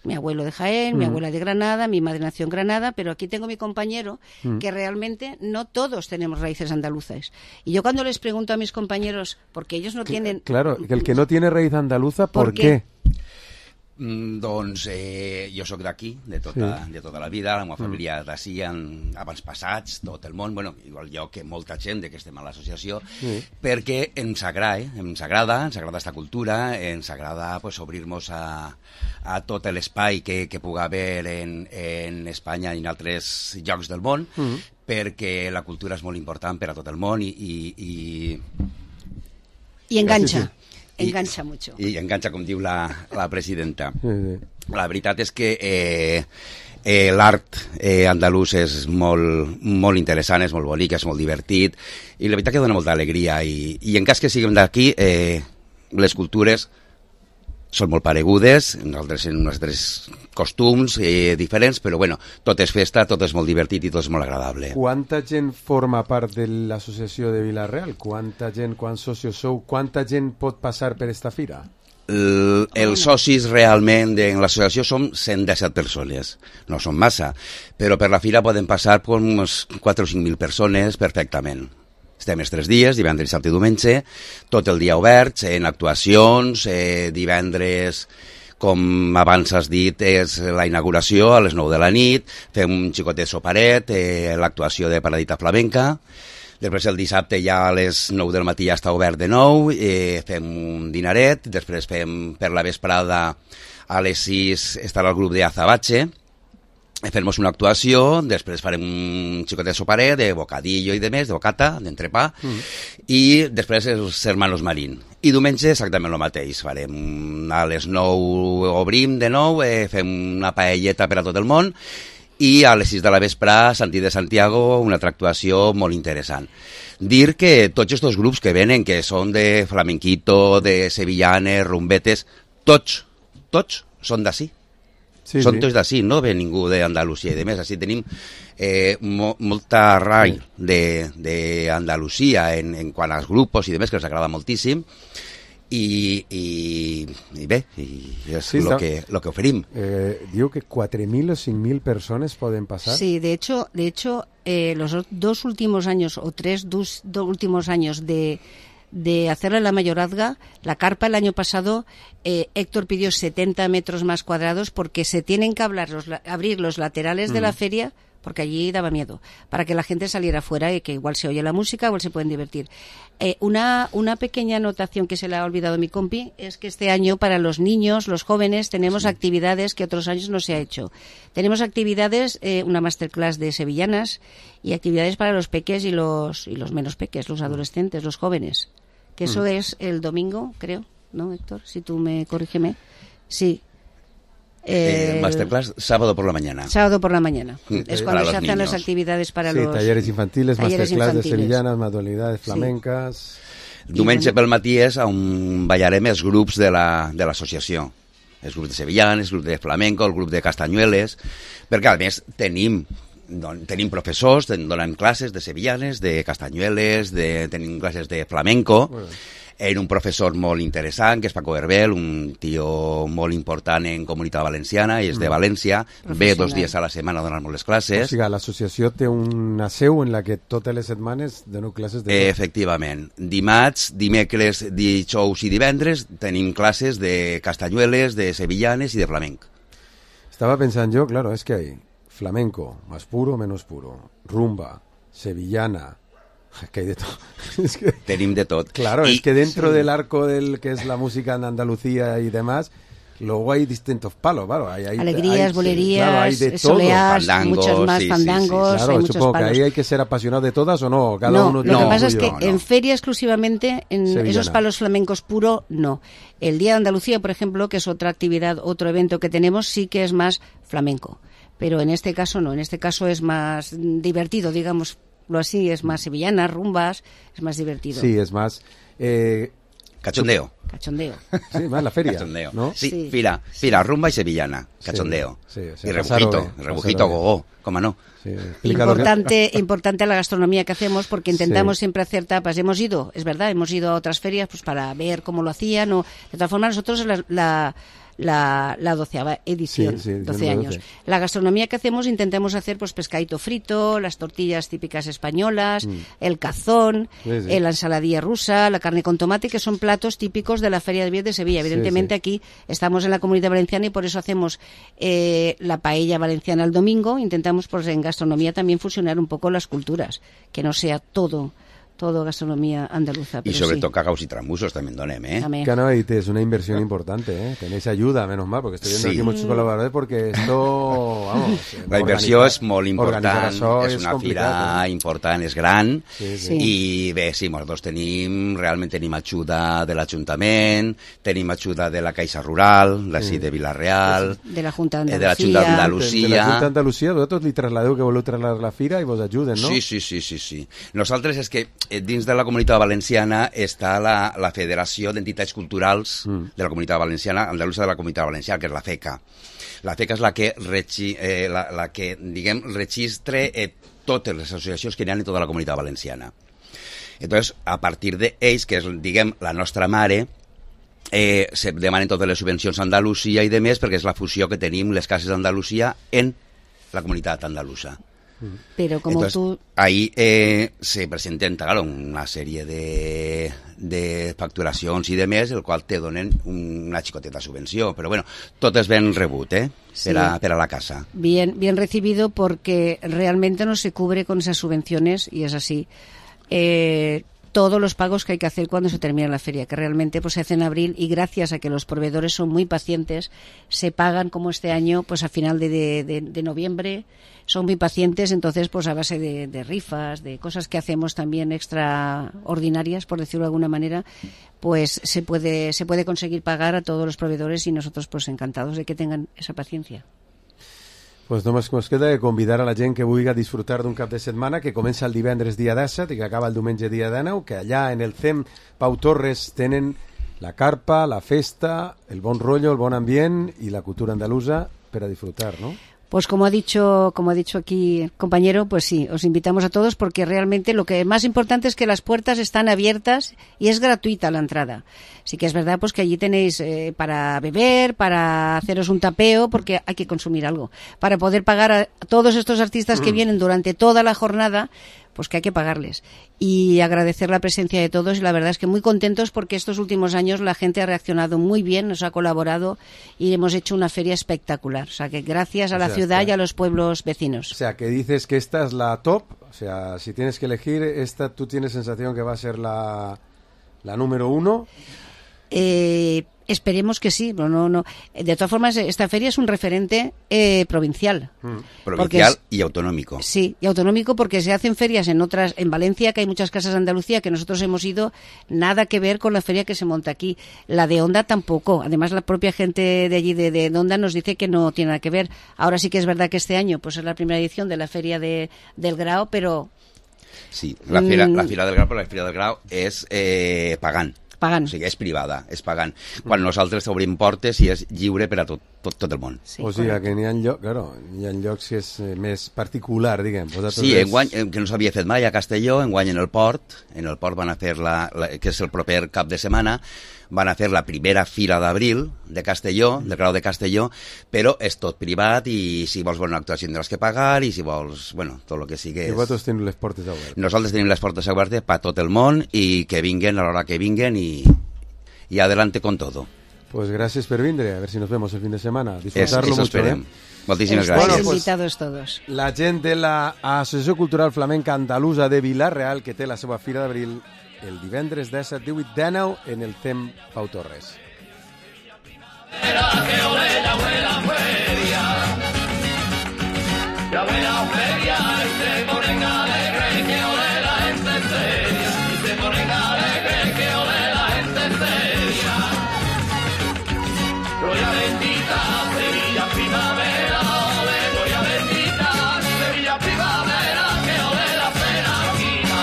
Mi abuelo de Jaén, mm. mi abuela de Granada, mi madre nació en Granada, pero aquí tengo mi compañero mm. que realmente no todos tenemos raíces andaluzas. Y yo cuando les pregunto a mis compañeros, porque ellos no tienen... Claro, que el que no tiene raíz andaluza, ¿por, ¿por qué? qué? Mm, doncs eh, jo sóc d'aquí, de, tota, sí. de tota la vida, la meva família mm. d'ací, abans passats, tot el món, bueno, igual jo que molta gent de que estem a l'associació, sí. perquè ens agrada, eh? ens agrada, ens agrada esta cultura, ens agrada pues, obrir-nos a, a tot l'espai que, que pugui haver en, en Espanya i en altres llocs del món, mm. perquè la cultura és molt important per a tot el món i... I, i... I enganxa. Sí, sí. Enganxa mucho. I, I enganxa, com diu la, la presidenta. Sí, sí. La veritat és que eh, eh, l'art eh, andalús és molt, molt interessant, és molt bonic, és molt divertit, i la veritat que dona molta alegria. I, i en cas que siguem d'aquí, eh, les cultures són molt paregudes, nosaltres en uns altres costums eh, diferents, però bueno, tot és festa, tot és molt divertit i tot és molt agradable. Quanta gent forma part de l'associació de Vila-real? Quanta gent, quants socis sou? Quanta gent pot passar per esta fira? El, els socis realment en l'associació som cent disset persones, no són massa, però per la fira poden passar pues, unes quatre o cinc mil persones perfectament. Estem els tres dies, divendres, dissabte i diumenge, tot el dia oberts, en actuacions, eh, divendres, com abans has dit, és la inauguració a les nou de la nit, fem un xicotet soparet, eh, l'actuació de Paradita Flamenca, després el dissabte ja a les nou del matí ja està obert de nou, eh, fem un dinaret, després fem per la vesprada a les sis estarà el grup de Azabache, fem una actuació, després farem un xicotet soparet de bocadillo i de més, de bocata, d'entrepà, mm. i després els hermanos Marín. I diumenge exactament el mateix, farem a les nou obrim de nou, eh, fem una paelleta per a tot el món, i a les sis de la vespre, Santí de Santiago, una altra actuació molt interessant. Dir que tots aquests grups que venen, que són de flamenquito, de sevillanes, rumbetes, tots, tots són d'ací. Sí, són sí. tots d'ací, no ve ningú d'Andalusia i de més. Així tenim eh, mo, molta arrel d'Andalusia en, en quant als grups i de més, que els agrada moltíssim. I, i, i bé, i és sí, lo, que, lo que oferim. Eh, diu que quatre mil o cinc mil persones poden pasar. Sí, de hecho, de hecho eh, los dos últimos años o tres dos, dos últimos años de... de hacerle la mayorazga, la carpa el año pasado, eh, Héctor pidió setenta metros más cuadrados porque se tienen que hablar los, abrir los laterales mm. de la feria, porque allí daba miedo, para que la gente saliera fuera y que igual se oye la música, igual se pueden divertir. Eh, una, una pequeña anotación que se le ha olvidado a mi compi es que este año para los niños, los jóvenes, tenemos sí. actividades que otros años no se ha hecho. Tenemos actividades, eh, una masterclass de sevillanas y actividades para los peques y los, y los menos peques, los adolescentes, los jóvenes. Que eso mm. es el domingo, creo, ¿no, Héctor? Si tú me corrígeme. Sí. Eh, masterclass sábado por la mañana. Sábado por la mañana. Mm. Es cuando se hacen niños. Las actividades para sí, los... talleres infantiles, talleres masterclass infantiles. de sevillanas, manualidades flamencas... Sí. Diumenge pel matí és on ballarem els grups de l'associació. La, els grups de sevillanes, el grup de flamenco, el grup de castanyueles, perquè a més tenim... Don, tenim professors, ten, donem classes de sevillanes, de castanyueles, de, tenim classes de flamenco, bueno. En un professor molt interessant, que és Paco Herbel, un tio molt important en comunitat valenciana, i és de València, ve dos dies a la setmana a donar-nos les classes. O sigui, l'associació té una seu en la que totes les setmanes dono classes de... Efectivament. Dimarts, dimecres, dijous i divendres tenim classes de castanyueles, de sevillanes i de flamenc. Estava pensant jo, claro, es que hay flamenco, más puro, menos puro, rumba, sevillana, que hay de todo. Es que, tenim de tot. Claro, y, es que dentro sí. del arco del que es la música en Andalucía y demás, luego hay distintos palos, claro. Hay, hay, alegrías, hay, bolerías, claro, hay de soleás, fandangos, muchos más sí, fandangos. Sí, sí, sí. Claro, hay supongo muchos que ahí hay que ser apasionado de todas o no. Cada no, uno lo no, que pasa es que no, en no. feria exclusivamente, en Sevillana. Esos palos flamencos puro, no. El Día de Andalucía, por ejemplo, que es otra actividad, otro evento que tenemos, sí que es más flamenco. Pero en este caso no, en este caso es más divertido, digámoslo así, es más sevillana, rumbas, es más divertido. Sí, es más... Eh, Cachondeo. Cachondeo. Sí, más la feria, Cachondeo. ¿no? Sí, sí. Fira, fira, rumba y sevillana, cachondeo. Sí, sí, o sea, y rebujito, pasaro, rebujito pasaro gogó, ¿cómo no? Sí, importante, que... importante la gastronomía que hacemos porque intentamos sí. siempre hacer tapas. Hemos ido, es verdad, hemos ido a otras ferias pues para ver cómo lo hacían. O, de todas formas, nosotros la... la la, la doceava edición, sí, sí, doce años. doce. La gastronomía que hacemos intentamos hacer pues pescadito frito, las tortillas típicas españolas, mm. el cazón, sí, sí. la ensaladilla rusa, la carne con tomate, que son platos típicos de la Feria de Vies de Sevilla. Evidentemente sí, sí. aquí estamos en la Comunidad Valenciana y por eso hacemos eh, la paella valenciana el domingo. Intentamos pues en gastronomía también fusionar un poco las culturas, que no sea todo todo gastronomía andaluza. Y sobre sí. todo cagaos y trambusos también donem, ¿eh? También. Claro, y es una inversión importante, ¿eh? Tenéis ayuda, menos mal, porque estoy viendo sí. aquí muchos colaboradores, porque esto, vamos... La inversió és molt important, és és una fira eh? important, és gran, sí, sí. i bé, sí, nosaltres tenim, realment tenim ajuda de l'Ajuntament, tenim ajuda de la Caixa Rural, d'ací sí. de Vila-real, de la Junta d'Andalusia, de la Junta d'Andalusia. De la Junta d'Andalusia, vosaltres li trasladeu que voleu trasladar la fira i vos ajuden, no? Sí, sí, sí, sí, sí. Nosaltres és que dins de la Comunitat Valenciana està la, la Federació d'Entitats Culturals mm. de la Comunitat Valenciana, Andalusa de la Comunitat Valenciana, que és la FECA. La FECA és la que, regi, eh, la, la que diguem, registre eh, totes les associacions que hi ha en tota la Comunitat Valenciana. Entonces, a partir d'ells, que és, diguem, la nostra mare, eh, se demanen totes les subvencions a Andalusia i de més, perquè és la fusió que tenim les cases d'Andalusia en la comunitat andalusa. Pero como Entonces, tú... ahí eh, se presenten, claro, una sèrie de, de facturacions i de més, el qual te donen una xicoteta subvenció. Però bueno, tot és ben rebut, eh? Sí. Per, a, per a la casa. Bien, bien recibido porque realmente no se cubre con esas subvenciones y es así. Eh, todos los pagos que hay que hacer cuando se termina la feria, que realmente pues se hace en abril y gracias a que los proveedores son muy pacientes, se pagan como este año pues a final de, de, de, de noviembre, son muy pacientes, entonces pues a base de, de rifas, de cosas que hacemos también extraordinarias, por decirlo de alguna manera, pues se puede, se puede conseguir pagar a todos los proveedores y nosotros pues encantados de que tengan esa paciencia. Pues només ens queda de convidar a la gent que vulgui disfrutar d'un cap de setmana que comença el divendres dia disset i que acaba el diumenge dia dinou, que allà en el C E M Pau Torres tenen la carpa, la festa, el bon rotllo, el bon ambient i la cultura andalusa per a disfrutar, ¿no? Pues como ha dicho, como ha dicho aquí el compañero, pues sí, os invitamos a todos porque realmente lo que más importante es que las puertas están abiertas y es gratuita la entrada. Sí que es verdad pues que allí tenéis eh, para beber, para haceros un tapeo, porque hay que consumir algo, para poder pagar a todos estos artistas que vienen durante toda la jornada, pues que hay que pagarles. Y agradecer la presencia de todos y la verdad es que muy contentos porque estos últimos años la gente ha reaccionado muy bien, nos ha colaborado y hemos hecho una feria espectacular. O sea que gracias a la O sea, ciudad que- y a los pueblos vecinos. O sea, que dices que esta es la top, o sea, si tienes que elegir, esta tú tienes sensación que va a ser la, la número uno. Eh, esperemos que sí, pero no, no. De todas formas, esta feria es un referente eh, provincial. Provincial es- y autonómico. Sí, y autonómico porque se hacen ferias en otras, en Valencia, que hay muchas casas de Andalucía que nosotros hemos ido, nada que ver con la feria que se monta aquí. La de Onda tampoco. Además, la propia gente de allí de, de Onda nos dice que no tiene nada que ver. Ahora sí que es verdad que este año pues es la primera edición de la feria de, del Grao, pero Sí, la fira, Mm. la fira del Grau, però la fira del Grau és eh, pagant. Pagant. O sigui, és privada, és pagant. Quan nosaltres obrim portes i és lliure per a tot, tot, tot el món. o sigui, que n'hi ha lloc, claro, n'hi ha llocs que és eh, més particular, diguem. Vosaltres Sí, és- enguany, eh, que no s'havia fet mai a Castelló, enguany en el port, en el port van a fer, la, la, que és el proper cap de setmana, van a fer la primera fira d'abril de Castelló, del Grau de Castelló, però és tot privat i si vols veure una actuació tindràs que pagar i si vols, bueno, tot el que sigui. I vosaltres teniu les portes obertes. Nosaltres tenim les portes obertes per tot el món i que vinguen a l'hora que vinguen i, y adelante con todo. Pues gracias por vindre, a ver si nos vemos el fin de semana. Eso, Disfrutarlo eso mucho, esperem. ¿eh? Moltíssimes estáis gràcies. invitados todos. La gent de la Associació Cultural Flamenca Andalusa de Vila-real, que té la seva fira d'abril el divendres disset, divuit, dinou en el C E M Pau Torres. Ya ve la feria y se ponen alegres, que ole la gente seria. Y se ponen alegres, que ole la gente seria. Gloria bendita, Sevilla primavera, ole, gloria bendita, Sevilla primavera, que ole la penaquina.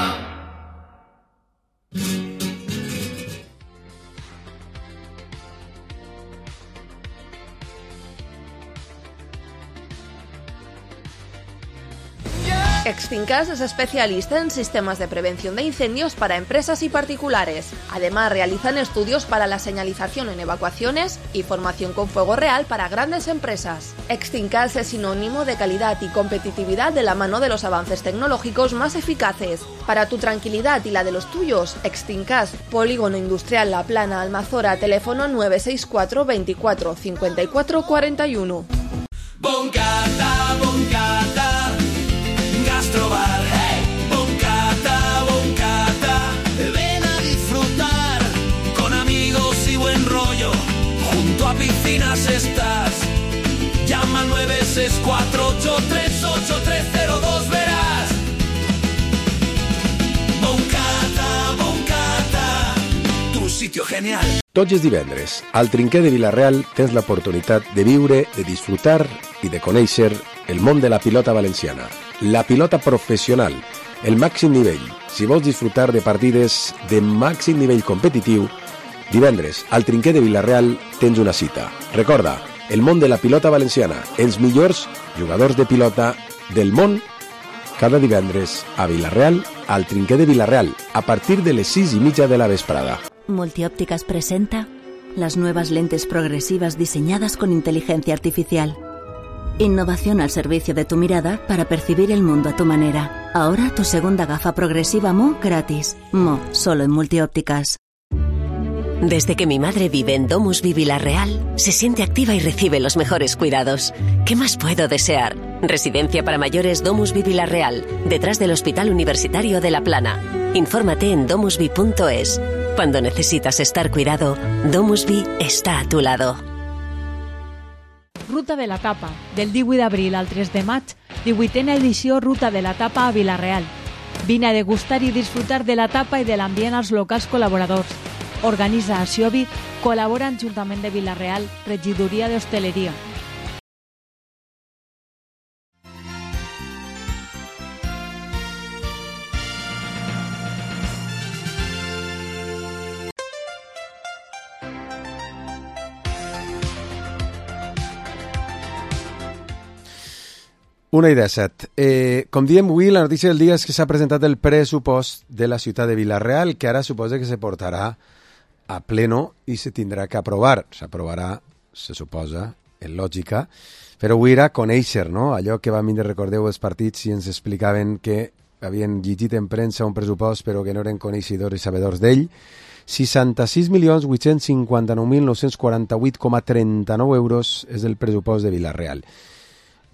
Extincas es especialista en sistemas de prevención de incendios para empresas y particulares. Además, realizan estudios para la señalización en evacuaciones y formación con fuego real para grandes empresas. Extincas es sinónimo de calidad y competitividad de la mano de los avances tecnológicos más eficaces. Para tu tranquilidad y la de los tuyos, Extincas, Polígono Industrial La Plana, Almazora, teléfono nueve seis cuatro veinticuatro cincuenta y cuatro cuarenta y uno. Boncata, boncata, gastrobar, hey. Boncata, boncata, ven a disfrutar con amigos y buen rollo. Junto a piscinas estás. Llama al nueve seis cuatro ocho tres ocho tres cero dos, verás. Boncata, boncata, tu sitio genial. Tots els divendres, al Trinquer de Vila-real tens l'oportunitat de viure, de disfrutar i de conèixer el món de la pilota valenciana. La pilota professional, el màxim nivell. Si vols disfrutar de partides de màxim nivell competitiu, divendres, al Trinquer de Vila-real tens una cita. Recorda, el món de la pilota valenciana, els millors jugadors de pilota del món, cada divendres a Vila-real, al Trinquer de Vila-real, a partir de les sis i mitja de la vesprada. Multiópticas presenta las nuevas lentes progresivas diseñadas con inteligencia artificial. Innovación al servicio de tu mirada para percibir el mundo a tu manera. Ahora tu segunda gafa progresiva Mo gratis. Mo, solo en Multiópticas. Desde que mi madre vive en DomusVi Vila-real, se siente activa y recibe los mejores cuidados. ¿Qué más puedo desear? Residencia para mayores DomusVi Vila-real, detrás del Hospital Universitario de La Plana. Infórmate en domusvi punto es. Cuando necesitas estar cuidado, DomusVi está a tu lado. Ruta de la Tapa, del divuit d'abril al tres de maig, divuitena edició Ruta de la Tapa a Vila-real. Vine a degustar i disfrutar de la tapa i de l'ambient als locals col·laboradors. Organitza Aciovi, col·labora amb Ajuntament de Vila-real, Regidoria d'Hostaleria. Una i disset. Eh, com diem avui, la notícia del dia és que s'ha presentat el pressupost de la ciutat de Vila-real, que ara suposa que se portarà a pleno i se tindrà que aprovar. S'aprovarà, se suposa, en lògica, però avui era conèixer, no? Allò que vam vindre, recordeu, els partits i ens explicaven que havien llegit en premsa un pressupost però que no eren coneixedors i sabedors d'ell. seixanta-sis milions vuit-cents cinquanta-nou mil nou-cents quaranta-vuit coma trenta-nou euros és el pressupost de Vila-real.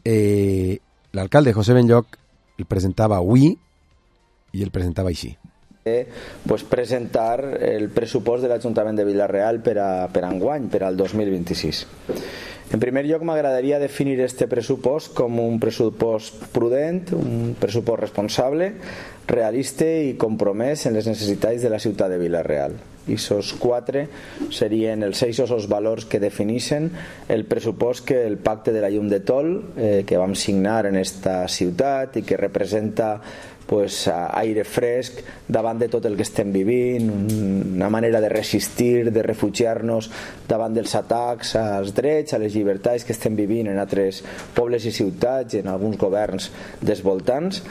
Eh... L'alcalde José Benlloch el presentava avui i el presentava així. Pues presentar el pressupost de l'Ajuntament de Vila-real per a, per a enguany, per al dos mil vint-i-sis. En primer lloc, m'agradaria definir este pressupost com un pressupost prudent, un pressupost responsable, realista i compromès en les necessitats de la ciutat de Vila-real. I esos quatre serien els eixos els valors que defineixen el pressupost que el pacte de la llum de Tol eh, que vam signar en esta ciutat i que representa pues, aire fresc davant de tot el que estem vivint, una manera de resistir, de refugiar-nos davant dels atacs als drets, a les llibertats que estem vivint en altres pobles i ciutats i en alguns governs dels voltants.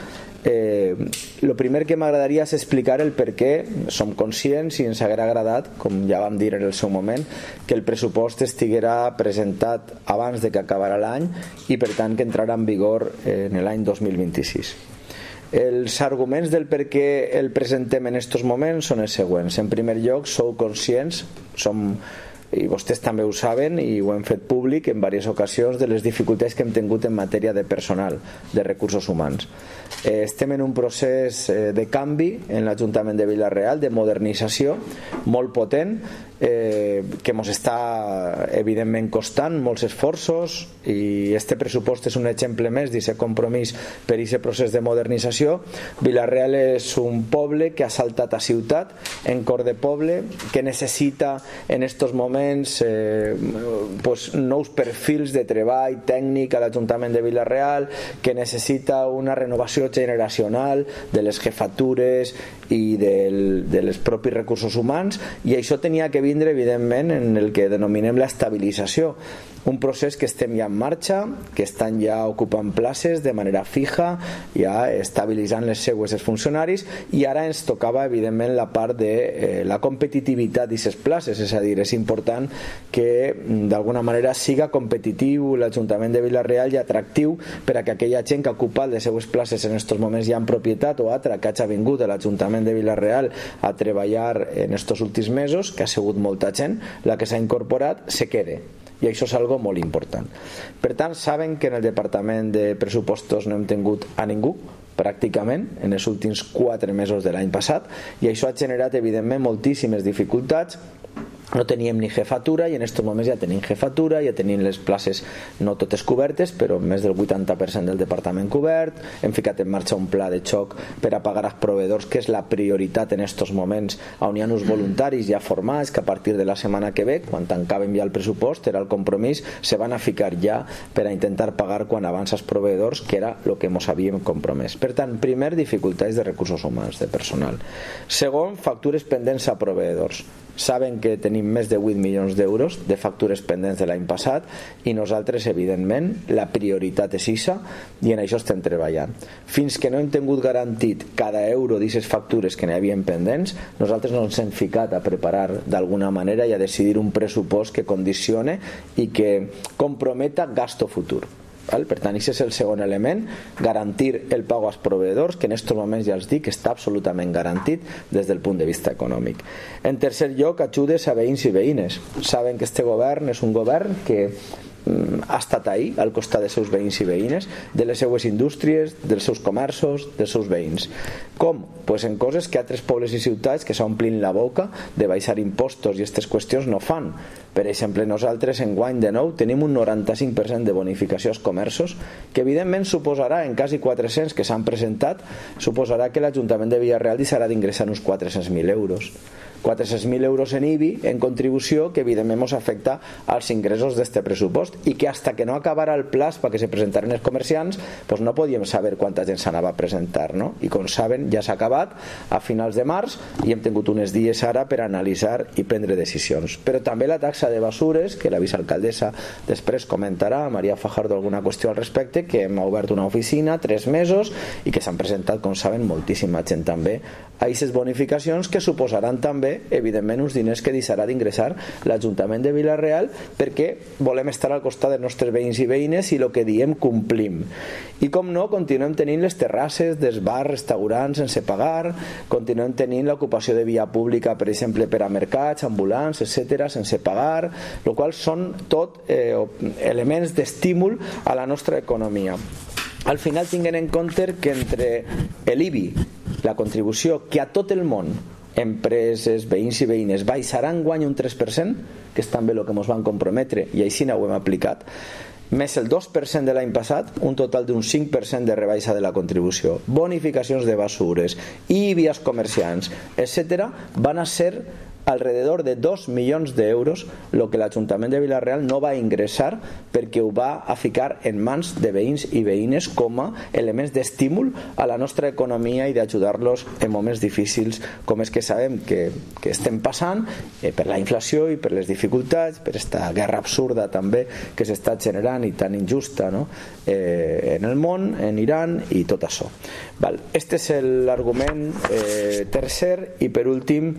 Eh, lo primer que m'agradaria és explicar el per què som conscients i ens haguera agradat, com ja vam dir en el seu moment, que el pressupost estiguera presentat abans de que acabara l'any i per tant que entrarà en vigor en l'any dos mil vint-i-sis. Els arguments del per què el presentem en estos moments són els següents. En primer lloc, sou conscients, som i vostès també ho saben i ho hem fet públic en diverses ocasions de les dificultats que hem tingut en matèria de personal, de recursos humans. Eh, estem en un procés eh, de canvi en l'Ajuntament de Vila-real, de modernització molt potent, eh, que ens està evidentment costant molts esforços i este pressupost és un exemple més d'aquest compromís per aquest procés de modernització. Vila-real és un poble que ha saltat a ciutat, en cor de poble, que necessita en estos moments Eh, pues, nous perfils de treball tècnic a l'Ajuntament de Vila-real, que necessita una renovació generacional de les jefatures i del, de les propis recursos humans, i això tenia que vindre evidentment en el que denominem l'estabilització, un procés que estem ja en marxa, que estan ja ocupant places de manera fija, ja estabilitzant les seues els funcionaris, i ara ens tocava evidentment la part de eh, la competitivitat d'aquestes places, és a dir, és important que d'alguna manera siga competitiu l'Ajuntament de Vila-real i atractiu per a que aquella gent que ha ocupat les seues places en estos moments ja en propietat o altra que hagi vingut a l'Ajuntament de Vila-real a treballar en estos últims mesos, que ha sigut molta gent la que s'ha incorporat, se quede. I això és algo molt important. Per tant, saben que en el Departament de Pressupostos no hem tingut a ningú pràcticament en els últims quatre mesos de l'any passat, i això ha generat evidentment moltíssimes dificultats. No teníem ni jefatura i en aquests moments ja tenim jefatura, ja tenim les places no totes cobertes, però més del vuitanta per cent del departament cobert. Hem ficat en marxa un pla de xoc per a pagar als proveïdors, que és la prioritat en aquests moments, on hi ha uns voluntaris ja formats que a partir de la setmana que ve, quan tancàvem ja el pressupost, era el compromís, se van a ficar ja per a intentar pagar quan abans als proveïdors, que era el que ens havíem compromès. Per tant, primer, dificultats de recursos humans, de personal. Segon, factures pendents a proveïdors. Saben que tenim més de vuit milions d'euros de factures pendents de l'any passat i nosaltres, evidentment, la prioritat és eixa i en això estem treballant. Fins que no hem tingut garantit cada euro d'aquestes factures que n'hi havien pendents, nosaltres no ens hem ficat a preparar d'alguna manera i a decidir un pressupost que condicione i que comprometa gasto futur. Val? Per tant, aquest és el segon element, garantir el pago als proveïdors, que en aquests moments ja els dic que està absolutament garantit des del punt de vista econòmic. En tercer lloc, ajudes a veïns i veïnes. Saben que este govern és un govern que ha estat ahí al costat dels seus veïns i veïnes, de les seues indústries, dels seus comerços, dels seus veïns. Com? Pues en coses que altres pobles i ciutats que s'omplin la boca de baixar impostos i aquestes qüestions no fan. Per exemple, nosaltres enguany de nou tenim un noranta-cinc per cent de bonificació als comerços, que evidentment suposarà, en quasi quatre-cents que s'han presentat, suposarà que l'Ajuntament de Villarreal deixarà d'ingressar uns quatre-cents mil euros. quatre-cents mil euros en I B I, en contribució, que evidentment ens afecta als ingressos d'este pressupost i que hasta que no acabara el plaç perquè se presentaren els comerciants pues no podíem saber quanta gent s'anava a presentar, no? I com saben ja s'ha acabat a finals de març i hem tingut uns dies ara per analitzar i prendre decisions. Però també la taxa de basures, que la vicealcaldessa després comentarà, Maria Fajardo, alguna qüestió al respecte, que hem obert una oficina tres mesos i que s'han presentat, com saben, moltíssima gent també a aquestes bonificacions, que suposaran també, evidentment, uns diners que deixarà d'ingressar l'Ajuntament de Vila-real, perquè volem estar al costat dels nostres veïns i veïnes i el que diem complim. I com no, continuem tenint les terrasses dels bars, restaurants sense pagar, continuem tenint l'ocupació de via pública, per exemple, per a mercats, ambulants, etcètera, sense pagar, el qual són tot eh, elements d'estímul a la nostra economia. Al final tinguem en compte que entre l'I B I, la contribució que a tot el món, empreses, veïns i veïnes, baixaran guany un tres per cent, que és també el que ens van comprometre i així no ho hem aplicat, més el dos per cent de l'any passat, un total d'un cinc per cent de rebaixa de la contribució, bonificacions de basures, I B I als comerciants, etcètera, van a ser alrededor de dos milions d'euros el que l'Ajuntament de Vila-real no va ingressar perquè ho va a ficar en mans de veïns i veïnes com a elements d'estímul a la nostra economia i d'ajudar-los en moments difícils com és que sabem que, que estem passant eh, per la inflació i per les dificultats, per aquesta guerra absurda també que s'està generant i tan injusta, no? eh, en el món, en Iran i tot això. Val. Este és l'argument eh, tercer i per últim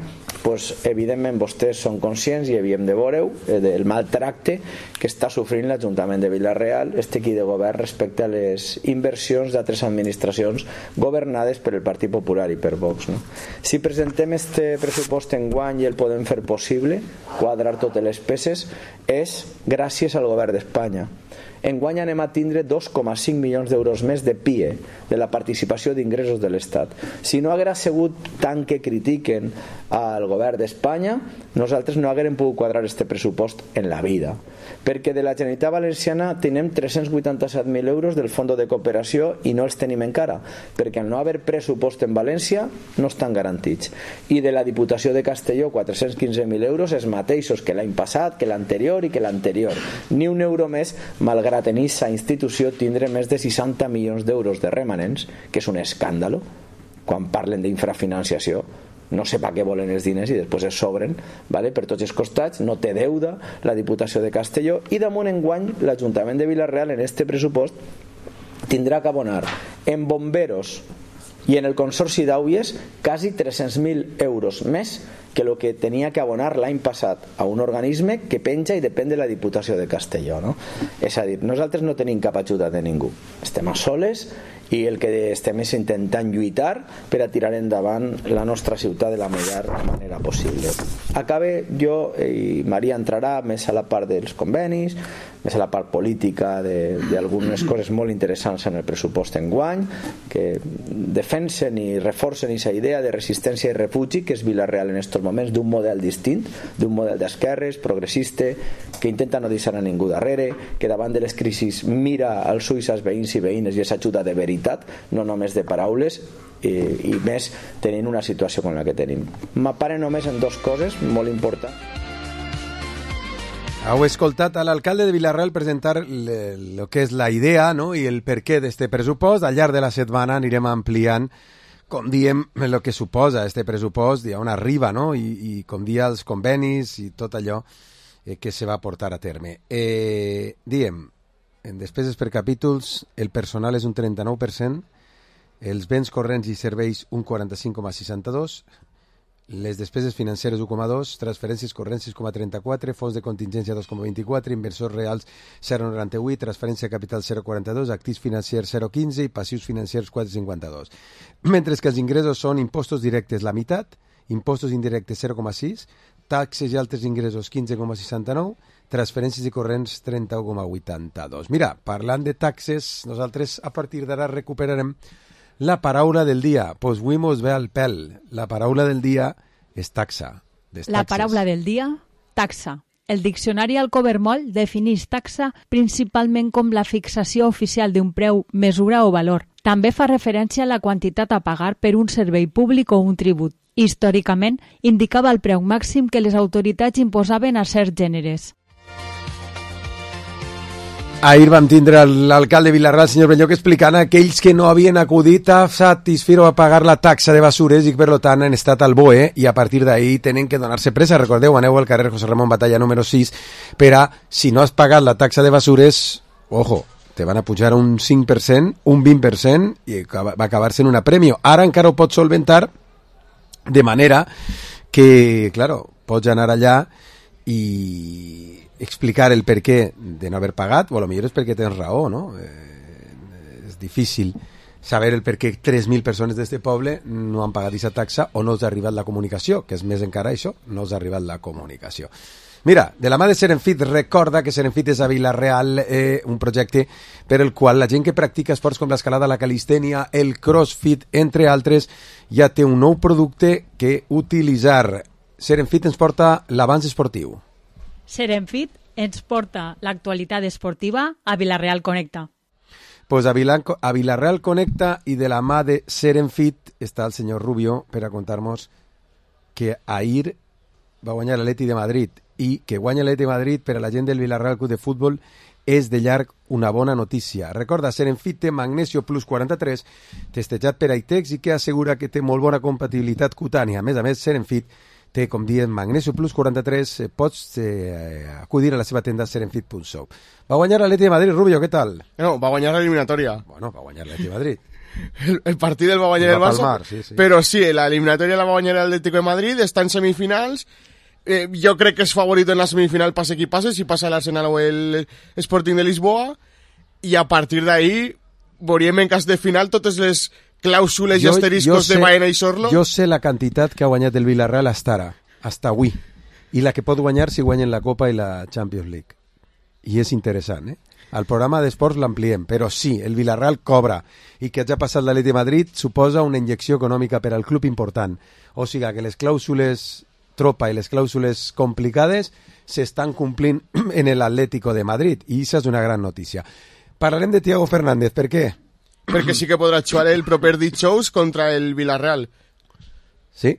pues, evidentment vostès són conscients i havíem de veure-ho eh, del maltracte que està sofrint l'Ajuntament de Vila-real, este equip de govern respecte a les inversions d'altres administracions governades per el Partit Popular i per Vox, no? Si presentem este pressupost en guany i el podem fer possible, quadrar totes les peces, és gràcies al govern d'Espanya. Enguany anem a tindre dos coma cinc milions d'euros més de P I E, de la participació d'ingressos de l'Estat. Si no haguera sigut tant que critiquen al govern d'Espanya, nosaltres no haguérem pogut quadrar este pressupost en la vida. Perquè de la Generalitat Valenciana tenim tres-cents vuitanta-set mil euros del Fons de Cooperació i no els tenim encara, perquè al no haver pressupost en València no estan garantits. I de la Diputació de Castelló, quatre-cents quinze mil euros, els mateixos que l'any passat, que l'anterior i que l'anterior. Ni un euro més, malgrat en aquesta institució tindre més de seixanta milions d'euros de remanents, que és un escàndalo, quan parlen d'infrafinanciació. No sé per què volen els diners i després es sobren, vale? Per tots els costats, no té deuda la Diputació de Castelló i damunt enguany l'Ajuntament de Vila-real en este pressupost tindrà que abonar en bomberos i en el Consorci d'Àuies quasi tres-cents mil euros més que el que tenia que abonar l'any passat a un organisme que penja i depèn de la Diputació de Castelló, no? És a dir, nosaltres no tenim cap ajuda de ningú, estem a soles i el que estem és intentant lluitar per a tirar endavant la nostra ciutat de la millor manera possible. Acabe jo, i Maria entrarà més a la part dels convenis, més a la part política d'algunes coses molt interessants en el pressupost enguany, que defensen i reforcen aquesta idea de resistència i refugi que és Vila-real en aquests moments, d'un model distint, d'un model d'esquerres, progressista, que intenta no deixar a ningú darrere, que davant de les crisis mira als ulls als veïns i veïnes i és ajuda de veritat, no només de paraules, i, i més tenint una situació com la que tenim. M'apare només en dues coses molt importants. Heu escoltat a l'alcalde de Vila-real presentar el que és la idea, no? I el per què d'este pressupost. Al llarg de la setmana anirem ampliant, com diem, el que suposa este pressupost i on arriba, no? I, i com dia els convenis i tot allò eh, que se va portar a terme. Eh, diem, en despeses per capítols, el personal és un trenta-nou per cent, els béns corrents i serveis un quaranta-cinc coma seixanta-dos, les despeses financeres u coma dos, transferències corrents sis coma trenta-quatre, fons de contingència dos coma vint-i-quatre, inversors reals zero coma noranta-vuit, transferència de capital zero coma quaranta-dos, actius financers zero coma quinze i passius financers quatre coma cinquanta-dos. Mentre que els ingressos són impostos directes la meitat, impostos indirectes zero coma sis, taxes i altres ingressos quinze coma seixanta-nou, transferències i corrents trenta coma vuitanta-dos. Mira, parlant de taxes, nosaltres a partir d'ara recuperarem la paraula del dia. Pues avui mos ve al pèl. La paraula del dia és taxa. La paraula del dia, taxa. El diccionari Alcovermoll defineix taxa principalment com la fixació oficial d'un preu, mesura o valor. També fa referència a la quantitat a pagar per un servei públic o un tribut. Històricament, indicava el preu màxim que les autoritats imposaven a certs gèneres. Ahir vam tindre l'alcalde de Vilarreal, el senyor Belloc, explicant a aquells que no havien acudit a satisfer o a pagar la taxa de basures i que per tant han estat al B O E i a partir d'ahir tenen que donar-se pressa. Recordeu, aneu al carrer José Ramón Batalla número sis per a, si no has pagat la taxa de basures, ojo, te van a pujar un cinc per cent, un vint per cent i va acabar-se en una premio. Ara encara ho pots solventar de manera que, claro, pots anar allà i explicar el per què de no haver pagat, o a lo millor és perquè tens raó, no? Eh, és difícil saber el per què tres mil persones d'este poble no han pagat aquesta taxa o no els ha arribat la comunicació, que és més encara això, no els ha arribat la comunicació. Mira, de la mà de Serenfit, recorda que Serenfit és a Vila-real, eh, un projecte per el qual la gent que practica esports com l'escalada, la calistènia, el crossfit, entre altres, ja té un nou producte que utilitzar. Serenfit ens porta l'avanç esportiu. Serenfit ens porta l'actualitat esportiva a Vilarreal Connecta. Pues a, Vila, a Vilarreal Connecta i de la mà de Serenfit està el senyor Rubio per a contar-nos que ahir va guanyar l'Atleti de Madrid i que guanya l'Atleti de Madrid per a la gent del Vilarreal Club de Futbol és de llarg una bona notícia. Recorda, Serenfit té Magnesio Plus quaranta-tres, testejat per Aitex i que assegura que té molt bona compatibilitat cutània. A més a més, Serenfit té, com diem, Magnesio Plus quaranta-tres, eh, pots eh, acudir a la seva tenda serenfit punt shop. Va guanyar l'Atleti de Madrid, Rubio, què tal? No, va guanyar l'eliminatòria. Bueno, va guanyar l'Atleti de Madrid. El, el partit el va guanyar el, el Barça, palmar, sí, sí. Però sí, l'eliminatòria la va guanyar l'Atlético de Madrid, està en semifinals. Eh, jo crec que és favorit en la semifinal, passe qui passe, si passa l'Arsenal o el Sporting de Lisboa, i a partir d'ahir veuríem en cas de final totes les clàusules jo, i asteriscos sé, de Baena i Sorlo. Jo sé la quantitat que ha guanyat el Villarreal hasta ara, hasta avui, i la que pot guanyar si guanyen la Copa i la Champions League. I és interessant, eh? Al programa d'esports l'ampliem, però sí, el Villarreal cobra, i que hagi passat l'Atleti de Madrid suposa una injecció econòmica per al club important. O sigui que les clàusules tropa i les clàusules complicades s'estan complint en l'Atlético de Madrid, i això és una gran notícia. Parlarem de Thiago Fernández, per què? Perquè sí que podrà jugar el proper dijous contra el Villarreal. Sí?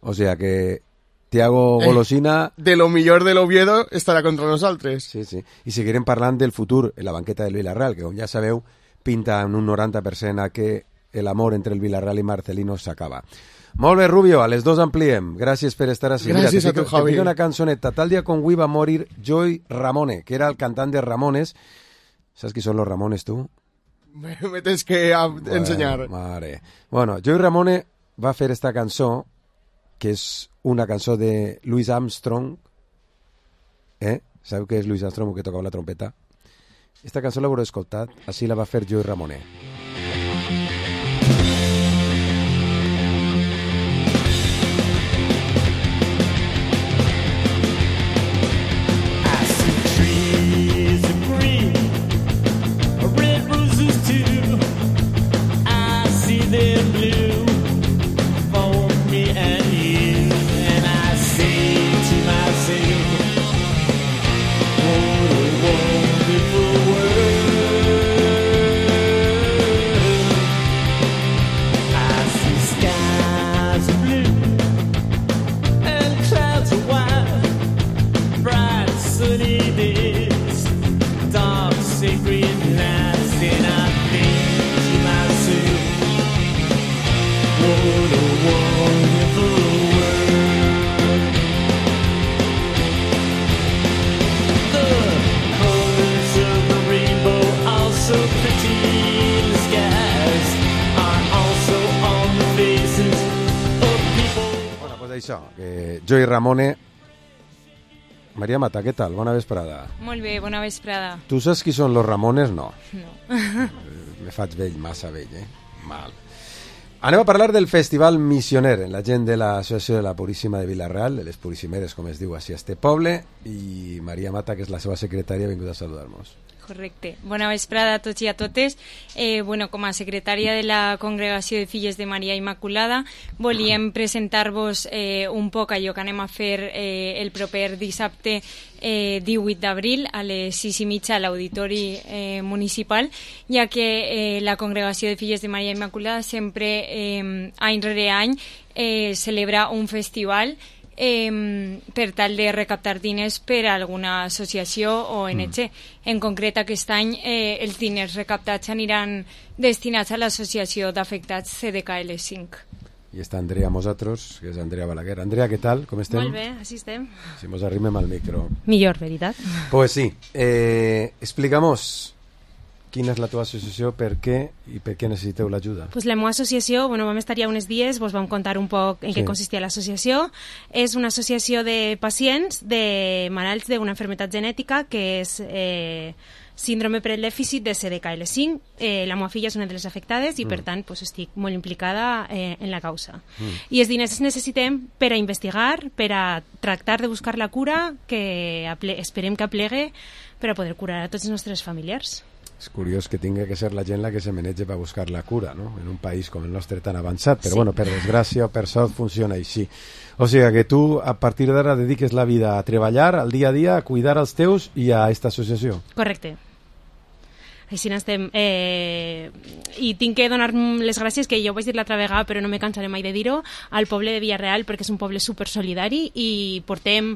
O sea que Thiago Golosina... Eh, de lo millor de l'Oviedo estarà contra nosaltres. Sí, sí. I seguirem parlant del futur en la banqueta del Villarreal, que com ja sabeu, pinta en un noranta per cent a que l'amor entre el Villarreal i Marcelino s'acaba. Molt bé, Rubio, a les dos ampliem. Gràcies per estar així. Gràcies Mira, a tu, te Javi. Te una cançoneta. Tal dia com avui va morir Joey Ramone, que era el cantant de Ramones. Saps qui són los Ramones, tu? Me, me tens que a, bueno, ensenyar. Mare. Bueno, Joey Ramone va fer esta cançó, que és una cançó de Louis Armstrong. Eh? Sabeu què és Louis Armstrong, que tocava la trompeta? Esta cançó l'haureu escoltat, així la va fer Joey Ramone. Això, que jo i Ramone... Maria Mata, què tal? Bona vesprada. Molt bé, bona vesprada. Tu saps qui són los Ramones? No. No. Me faig vell, massa vell, eh? Mal. Anem a parlar del Festival Missioner, en la gent de l'Associació de la Puríssima de Vila-real, de les Puríssimeres, com es diu així a este poble, i Maria Mata, que és la seva secretària, ha vingut a saludar-nos. Correcte. Bona vesprada a tots i a totes. Eh, bueno, com a secretària de la Congregació de Filles de Maria Immaculada, volíem presentar-vos eh, un poc allò que anem a fer eh, el proper dissabte eh, divuit d'abril a les sis i mitja a l'Auditori eh, Municipal, ja que eh, la Congregació de Filles de Maria Immaculada sempre, eh, any rere any, eh, celebra un festival Eh, per tal de recaptar diners per a alguna associació o O N G. Mm. En concret, aquest any eh, els diners recaptats aniran destinats a l'associació d'afectats C D K L cinc. I està Andrea amb nosaltres, que és Andrea Balaguer. Andrea, què tal? Com estem? Molt bé, així estem. Si mos arrimem al micro. Millor, veritat? Pues sí. Eh, explica'mos quina és la teva associació, per què i per què necessiteu l'ajuda. Pues la meva associació, bueno, vam estar ja uns dies, vos vam contar un poc en sí. què consistia l'associació. És una associació de pacients de malalts d'una malaltia genètica que és eh, síndrome per el dèficit de C D K L cinc. Eh, la meva filla és una de les afectades i, mm. per tant, pues, estic molt implicada eh, en la causa. Mm. I els diners els necessitem per a investigar, per a tractar de buscar la cura que esperem que aplegue per a poder curar a tots els nostres familiars. És curiós que tingui que ser la gent la que se menege per buscar la cura, no? En un país com el nostre tan avançat, però sí. bueno, per desgràcia o per sort funciona així. O sigui que tu a partir d'ara dediques la vida a treballar, al dia a dia, a cuidar els teus i a aquesta associació. Correcte. Així n'estem. Eh, I tinc que donar les gràcies, que jo ho vaig dir l'altra vegada, però no me cansaré mai de dir-ho, al poble de Vila-real, perquè és un poble supersolidari i portem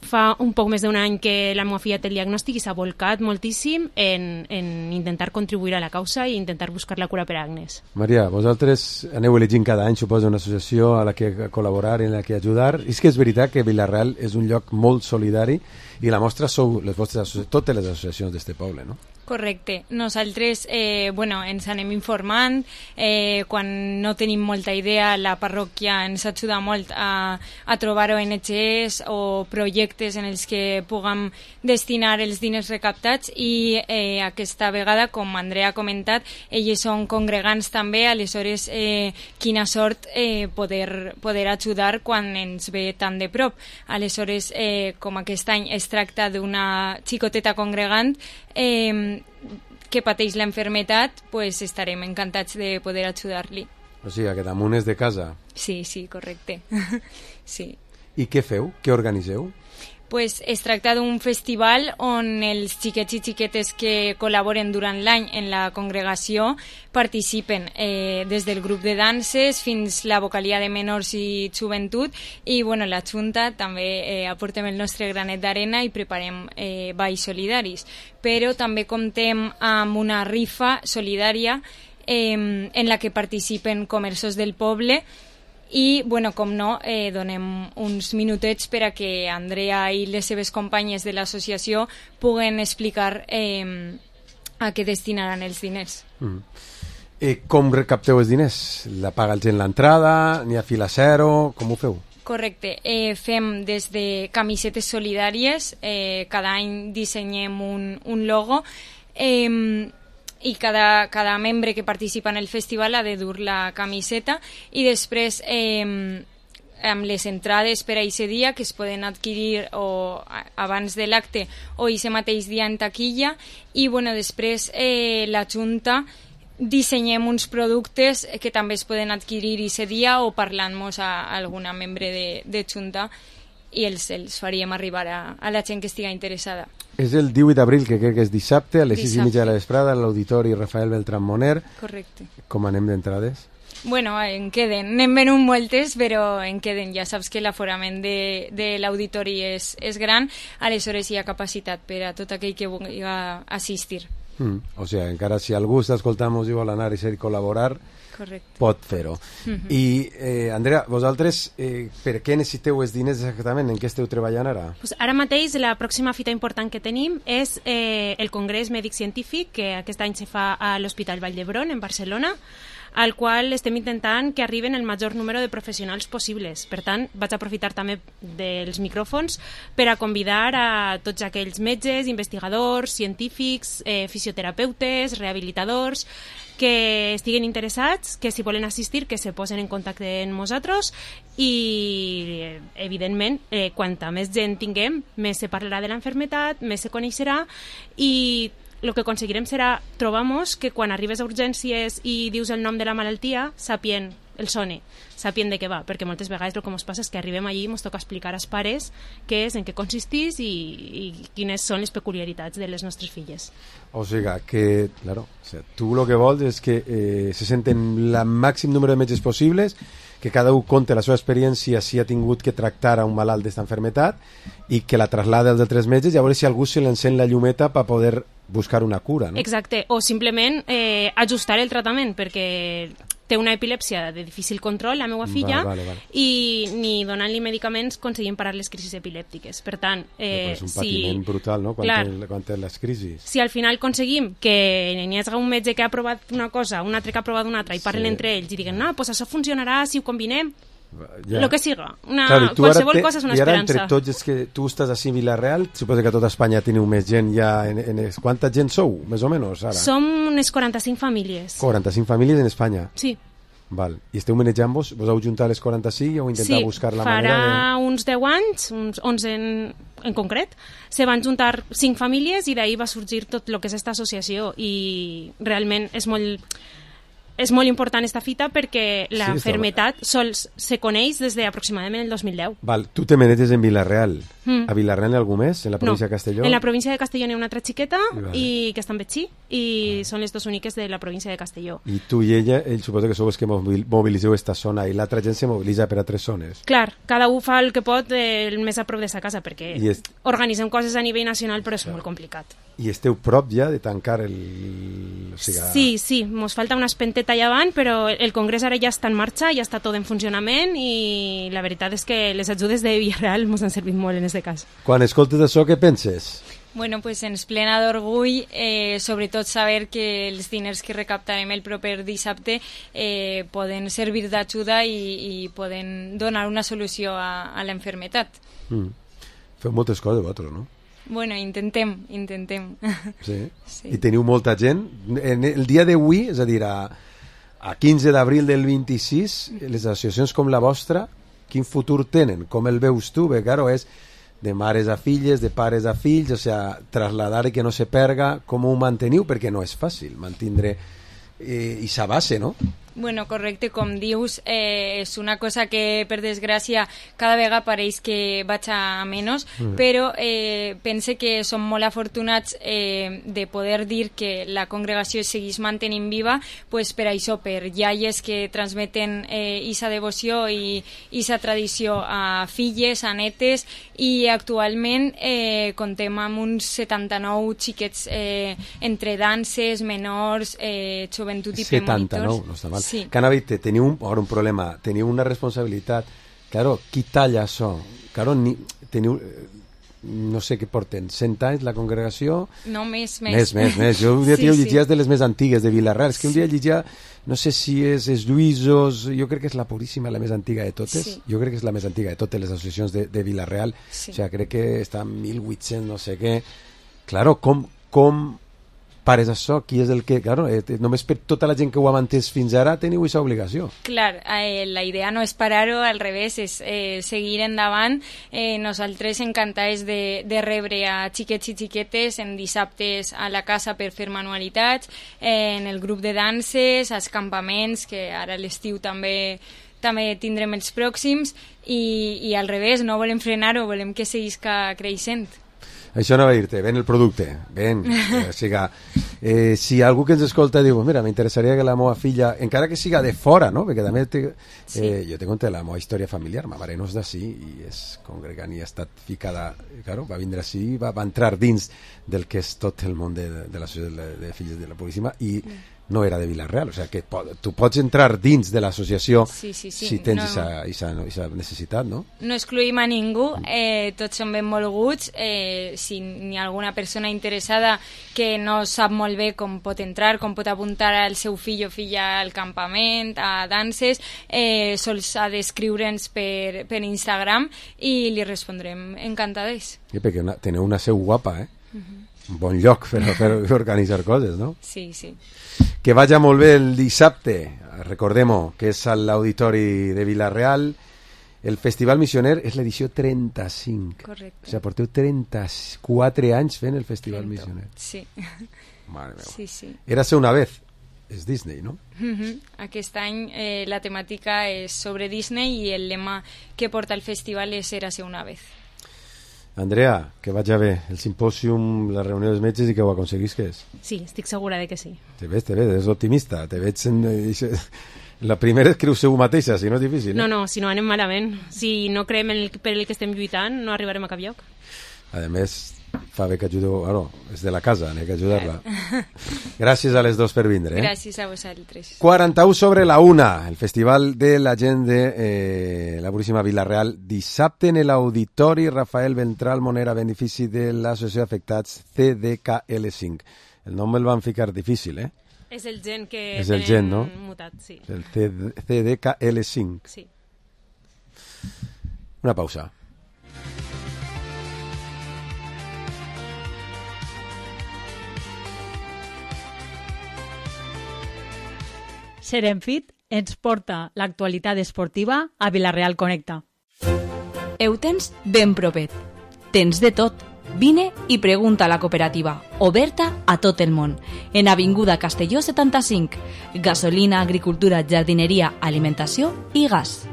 fa un poc més d'un any que la meva filla té el diagnòstic i s'ha volcat moltíssim en, en intentar contribuir a la causa i intentar buscar la cura per a Agnes. Maria, vosaltres aneu elegint cada any, suposo, una associació a la que col·laborar i en la que ajudar. És que és veritat que Vila-real és un lloc molt solidari i la mostra sou les vostres, totes les associacions d'este poble, no? Correcte. Nosaltres eh, bueno, ens anem informant. Eh, quan no tenim molta idea, la parròquia ens ajuda molt a, a trobar O N Gs o projectes en els que puguem destinar els diners recaptats i eh, aquesta vegada, com Andrea ha comentat, elles són congregants també, aleshores eh, quina sort eh, poder, poder ajudar quan ens ve tan de prop. Aleshores, eh, com aquest any es tracta d'una xicoteta congregant, eh, que pateix la enfermetat, pues estarem encantats de poder ajudar-li. O sigui, que damunt és de casa. Sí, sí, correcte. Sí. I què feu? Què organiseu? Pues es tracta d'un festival on els xiquets i xiquetes que col·laboren durant l'any en la congregació participen eh, des del grup de danses fins la vocalia de menors i joventut i bueno, la Junta també eh, aportem el nostre granet d'arena i preparem eh, balls solidaris. Però també comptem amb una rifa solidària eh, en la que participen comerços del poble i, bueno, com no, eh, donem uns minutets per a que Andrea i les seves companyes de l'associació puguen explicar eh, a què destinaran els diners. Mm. Eh, com recapteu els diners? La paga el gent l'entrada? N'hi ha fila zero? Com ho feu? Correcte. Eh, fem des de camisetes solidàries, eh, cada any dissenyem un, un logo, eh, i cada, cada membre que participa en el festival ha de dur la camiseta i després eh, amb les entrades per a aquest dia que es poden adquirir o abans de l'acte o aquest mateix dia en taquilla i bueno, després eh, la Junta dissenyem uns productes que també es poden adquirir aquest dia o parlant-nos a alguna membre de, de Junta i els, els faríem arribar a, a la gent que estigui interessada. És el divuit d'abril, que crec que és dissabte, a les sis i mitja de la vesprada, a l'Auditori Rafael Beltrán Moner. Correcte. Com anem d'entrades? Bueno, en queden. N'hem venut moltes, però en queden. Ja saps que l'aforament de, de l'auditori és, és gran, aleshores hi ha capacitat per a tot aquell que vulgui assistir. Mm. O sigui, encara si algú està escoltant-nos i vol anar i ser col·laborar, correcte, pot fer-ho. Mm-hmm. I, eh, Andrea, vosaltres eh, per què necessiteu els diners exactament? En què esteu treballant ara? Pues ara mateix la pròxima fita important que tenim és eh, el Congrés Mèdic Científic, que aquest any se fa a l'Hospital Vall d'Hebron, en Barcelona. al qual estem intentant que arriben el major número de professionals possibles. Per tant, vaig aprofitar també dels micròfons per a convidar a tots aquells metges, investigadors, científics, eh, fisioterapeutes, rehabilitadors, que estiguen interessats, que si volen assistir, que se posen en contacte amb nosaltres i, evidentment, eh, quanta més gent tinguem, més se parlarà de l'enfermetat, més se coneixerà i el que aconseguirem serà trobar-nos que quan arribes a urgències i dius el nom de la malaltia, sapient el sone, sapient de què va, perquè moltes vegades el que ens passa és que arribem allí i ens toca explicar als pares què és, en què consistís i, i quines són les peculiaritats de les nostres filles. O sigui que, claro, o sea, tu el que vols és que eh, se senten el màxim número de metges possibles, que cada un conte la seva experiència si ha tingut que tractar a un malalt d'esta enfermetat i que la traslada als altres metges i a veure si algú se l'encén la llumeta per poder buscar una cura, no? Exacte, o simplement eh, ajustar el tractament, perquè té una epilèpsia de difícil control, la meva filla, vale, vale, vale. i ni donant-li medicaments aconseguim parar les crisis epilèptiques. Per tant, eh, és un patiment si, brutal, no?, quan, clar, té, quan té les crisis. Si al final aconseguim que n'hi hagi un metge que ha provat una cosa, un altre que ha provat una altra, i parlen sí. entre ells i diguen, no, pues això funcionarà si ho combinem, ja. Lo que siga. Una, claro, qualsevol te, cosa és una i ara esperança. entre tots, és que tu estàs a Vilareal, suposo que a tota Espanya teniu més gent ja. En, en, en, quanta gent sou, més o menys, ara? Som unes quaranta-cinc famílies. quaranta-cinc famílies en Espanya? Sí. Val. I esteu manejant-vos? Vos heu juntat les quaranta-cinc i heu intentat sí, buscar la manera de... Sí, farà uns deu anys, uns onze en, en concret, se van juntar cinc famílies i d'ahir va sorgir tot el que és esta associació i realment és molt... És molt important esta fita perquè la sí, enfermetat sols se coneix des d'aproximadament el dos mil deu. Val, tu te maneges en Vila-real. Mm. A Vila-real n'hi ha algú més? En la província no. de Castelló? En la província de Castelló n'hi ha una altra xiqueta I, vale. i que està en Betxí i vale. Són les dues úniques de la província de Castelló. I tu i ella, ell suposo que sou els que mobilitzeu esta zona i l'altra gent se mobilitza per altres zones. Clar, cada un fa el que pot el més a prop de sa casa perquè est... organitzem coses a nivell nacional però és clar. Molt complicat. I esteu prop ja de tancar el... O sigui... Sí, sí, mos falta una espenteta allà avant, però el congrés ara ja està en marxa, ja està tot en funcionament i la veritat és que les ajudes de Villareal mos han servit molt en aquest cas. Quan escoltes això, què penses? Bueno, pues ens plena d'orgull, eh, sobretot saber que els diners que recaptarem el proper dissabte eh, poden servir d'ajuda i, i poden donar una solució a, a l'enfermetat. Mm. Feu moltes coses vosaltres, no? Bueno, intentem, intentem. Sí? Sí. I teniu molta gent. En el dia d'avui, és a dir, a, a quinze d'abril del vint-i-sis, les associacions com la vostra, quin futur tenen? Com el veus tu? Bé, claro, és de mares a filles, de pares a fills, o sea, trasladar i que no se perga, com ho manteniu? Perquè no és fàcil mantindre eh, esa base, no? Bueno, correcte, com dius, eh, és una cosa que, per desgràcia, cada vegada pareix que vaig a menys, mm. però eh, pense que som molt afortunats eh, de poder dir que la congregació segueix mantenint viva, pues per això, per iaies que transmeten eh, isa devoció i isa tradició a filles, a netes, i actualment eh, contem amb uns setanta-nou xiquets eh, entre danses, menors, eh, joventut i premonitors. setanta-nou, no està mal. Sí. Canavite, teniu un, un problema, teniu una responsabilitat. Claro, qui talla això? Claro, ni, teniu, no sé què porten, cent anys la congregació? No, més, més. Més, més, més. Jo un dia sí, llegia sí. de les més antigues de Vilareal. És que un dia llegia, no sé si és, és Lluïsos, jo crec que és la Puríssima, la més antiga de totes. Sí. Jo crec que és la més antiga de totes les associacions de, de Vilareal. Sí. O sigui, crec que està en mil vuit-cents, no sé què. Claro, com... com pares això, qui és el que... Claro, eh, només per tota la gent que ho ha mantès fins ara teniu aquesta obligació. Clar, eh, la idea no és parar-ho, al revés, és eh, seguir endavant. Eh, nosaltres encantades de, de rebre a xiquets i xiquetes en dissabtes a la casa per fer manualitats, eh, en el grup de danses, als campaments, que ara a l'estiu també també tindrem els pròxims, i, i al revés, no volem frenar-ho, volem que seguisca creixent. Això no va dir-te, ven el producte, ven. Eh, o sigui, eh, si algú que ens escolta diu, mira, m'interessaria que la meva filla, encara que siga de fora, no? Perquè també te, eh, sí. jo te conté la meva història familiar, ma mare no és d'ací i és congregant i ha estat ficada, claro, va vindre així, va, va entrar dins del que és tot el món de, de la societat de, de filles de la Puríssima i mm. no era de Vila-real, o sea que po tu pots entrar dins de l'associació sí, sí, sí. si tens no, aquesta necessitat, no? No excluïm a ningú, eh, tots són benvolguts, eh, si hi ha alguna persona interessada que no sap molt bé com pot entrar, com pot apuntar el seu fill o filla al campament, a danses, eh, sols ha d'escriure'ns per, per Instagram i li respondrem encantades. Sí, perquè una, teniu una seu guapa, eh? Uh-huh. Un bon lloc per, per organitzar coses, no? Sí, sí. Que vagi molt bé el dissabte, recordem-ho, que és a l'Auditori de Vila-real. El Festival Missioner és l'edició trenta-cinc. Correcte. O sigui, porteu trenta-quatre anys fent el Festival trenta. Missioner. Sí. Mare meva. Sí, sí. Érase una vez. És Disney, no? Uh-huh. Aquest any eh, la temàtica és sobre Disney i el lema que porta el festival és Érase una vez. Andrea, que vagi bé el simpòsium, la reunió dels metges i que ho aconseguisques. Sí, estic segura de que sí. Te veig, te veig, és optimista. Te veig en... La primera és creu-se-ho mateixa, si no és difícil. No, no, si no anem malament. Si no creem en el, per el que estem lluitant, no arribarem a cap lloc. A més, fa bé que ajudeu... Ah, no, és de la casa, n'he que ajudar-la. Gràcies a les dos per vindre. Eh? Gràcies a vosaltres. quaranta-u sobre la una, el Festival de la Gent de eh, la Puríssima Vila-real, dissabte en l'Auditori Rafael Ventral Monera, a benefici de l'Associació d'Afectats C D K L cinc. El nom el van ficar difícil, eh? És el gen que és el gen, no? mutat, sí. El C D K L cinc. Sí. Una pausa. Serenfit ens porta l'actualitat esportiva a Vila-real Connecta. Ho tens ben propet. Tens de tot. Vine i pregunta a la cooperativa, oberta a tot el món, en Avinguda Castelló setanta-cinc. Gasolina, agricultura, jardineria, alimentació i gas.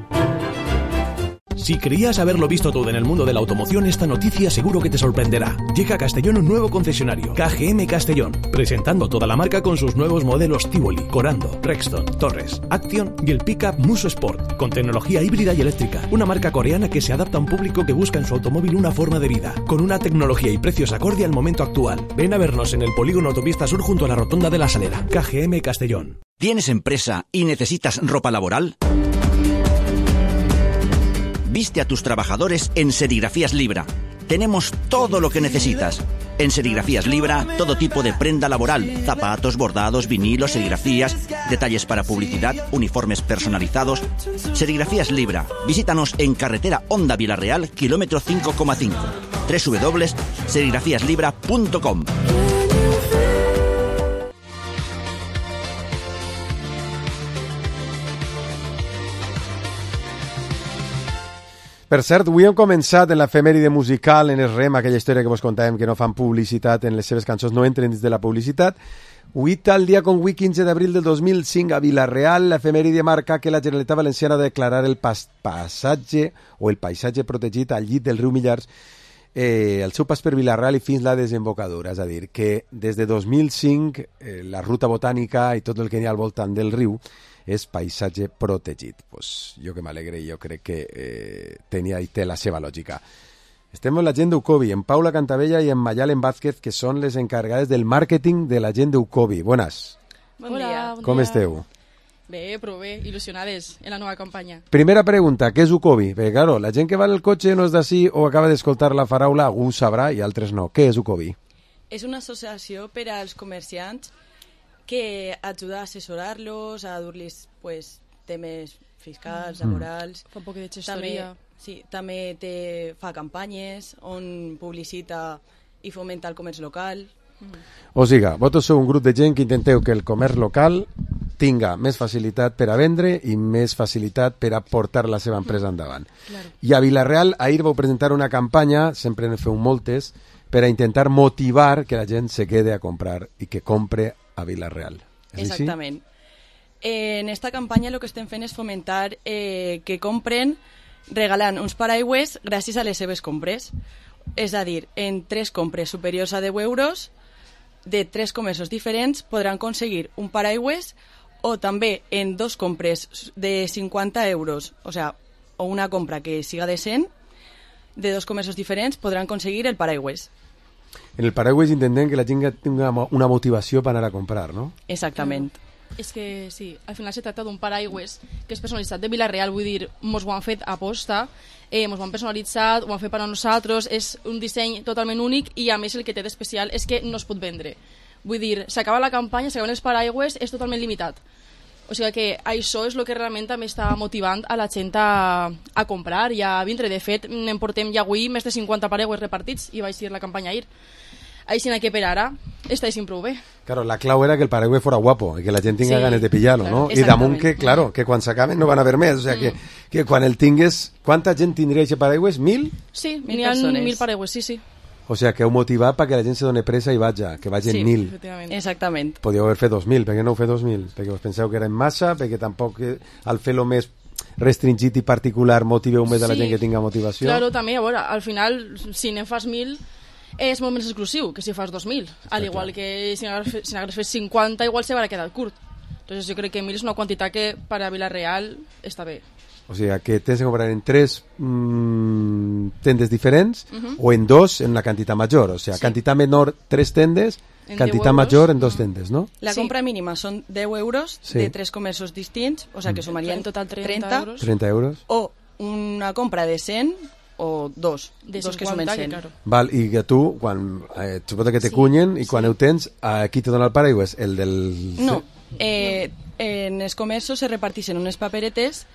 Si creías haberlo visto todo en el mundo de la automoción, esta noticia seguro que te sorprenderá. Llega a Castellón un nuevo concesionario, K G M Castellón, presentando toda la marca con sus nuevos modelos Tivoli, Corando, Rexton, Torres, Action y el pickup Muso Sport, con tecnología híbrida y eléctrica. Una marca coreana que se adapta a un público que busca en su automóvil una forma de vida, con una tecnología y precios acorde al momento actual. Ven a vernos en el polígono Autopista Sur junto a la rotonda de la Salera. K G M Castellón. ¿Tienes empresa y necesitas ropa laboral? Viste a tus trabajadores en Serigrafías Libra. Tenemos todo lo que necesitas. En Serigrafías Libra, todo tipo de prenda laboral, zapatos, bordados, vinilos, serigrafías, detalles para publicidad, uniformes personalizados. Serigrafías Libra. Visítanos en carretera Honda Vila-real, kilómetro cinco coma cinco. doble u doble u doble u punto serigrafías libra punto com. Per cert, avui hem començat en l'efemèride musical, en el rem, aquella història que vos contàvem que no fan publicitat en les seves cançons, no entren dins de la publicitat. Avui, tal dia com avui, quinze d'abril del dos mil cinc, a Vila-real, l'efemèride marca que la Generalitat Valenciana ha de declarar el pas passatge o el paisatge protegit al llit del riu Millars, eh, el seu pas per Vila-real i fins la desembocadura. És a dir, que des de dos mil cinc eh, la ruta botànica i tot el que hi ha al voltant del riu és paisatge protegit. Pues jo que m'alegre, jo crec que eh, tenia i té la seva lògica. Estem amb la gent d'Ucobi, en Paula Cantabella i en Mayalen Vázquez, que són les encarregades del màrqueting de la gent d'Ucobi. Buenas. Bon dia. Com dia. esteu? Bé, però bé, il·lusionades en la nova campanya. Primera pregunta, què és Ucobi? Perquè, claro, la gent que va en el cotxe no és d'ací o acaba d'escoltar la paraula, algú sabrà i altres no. Què és Ucobi? És una associació per als comerciants que ajuda a assessorar-los, a dur-los pues, temes fiscals, laborals. Fa un poc de gestoria. També, sí, també te, fa campanyes on publicita i fomenta el comerç local. Mm. O sigui, vosaltres sou un grup de gent que intenteu que el comerç local tinga més facilitat per a vendre i més facilitat per a portar la seva empresa endavant. Claro. I a Vila-real ahir vau presentar una campanya, sempre en feu moltes, per a intentar motivar que la gent se quede a comprar i que compre a Vila-real. Exactament. Eh, en esta campanya el que estem fent és fomentar eh, que compren regalant uns paraigües gràcies a les seves compres. És a dir, en tres compres superiors a deu euros de tres comerços diferents podran aconseguir un paraigües o també en dos compres de cinquanta euros, o sea, o una compra que siga de cent, de dos comerços diferents podran aconseguir el paraigües. en el paraigües intentem que la gent tingui una motivació per anar a comprar, no? Exactament. És que sí, al final se tracta d'un paraigües que és personalitzat de Vila-real, vull dir, mos ho han fet a posta, eh, mos ho han personalitzat, ho han fet per a nosaltres, és un disseny totalment únic i a més el que té d'especial és que no es pot vendre. Vull dir, s'acaba la campanya, s'acaben els paraigües, és totalment limitat. O sigui que això és el que realment també està motivant a la gent a, a comprar i a vindre. De fet, en portem ja avui més de cinquanta paraigües repartits i va ser la campanya ahir. Així que per ara està així prou bé. Claro, la clau era que el paraigües fora guapo i que la gent tinga sí, ganes de pillar-lo, claro, no? I damunt que, claro, que quan s'acaben no van a haver més, o sea, mm. que, que quan el tingues... Quanta gent tindria aquest paraigües? Mil? Sí, n'hi ha mil paraigües, sí, sí. O sea, que heu motivat perquè la gent se doni pressa i vaja, que vagin sí, mil. Exactament. Podíeu haver fet dos mil, per què no ho fer dos mil? Perquè us penseu que era en massa, perquè tampoc al fer-lo més restringit i particular motiveu més sí. a la gent que tinga motivació. Claro, també, a veure, al final, si ne fas mil, és molt més exclusiu que si fas dos mil. Al igual que si n'hagués fet cinquanta, igual se va quedar curt. Entonces jo crec que mil és una quantitat que per a Vila-real està bé. O sigui, que tens que comprar en tres mmm, tendes diferents Uh -huh. o en dos en la quantitat major. O sigui, Sí. quantitat menor tres tendes, En quantitat deu major euros. en dos tendes, no? La Sí. compra mínima són deu euros Sí. de tres comerços distints, o sea que sumarien En total trenta trenta euros. trenta euros. O una compra de cent o dos, De dos que cinquanta, sumen que cent. claro. Val, i que tu, quan, eh, suposo que te Sí, cunyen i quan ho tens, a qui te dona el paraigües? El del... No, eh, en els comerços se reparteixen unes paperetes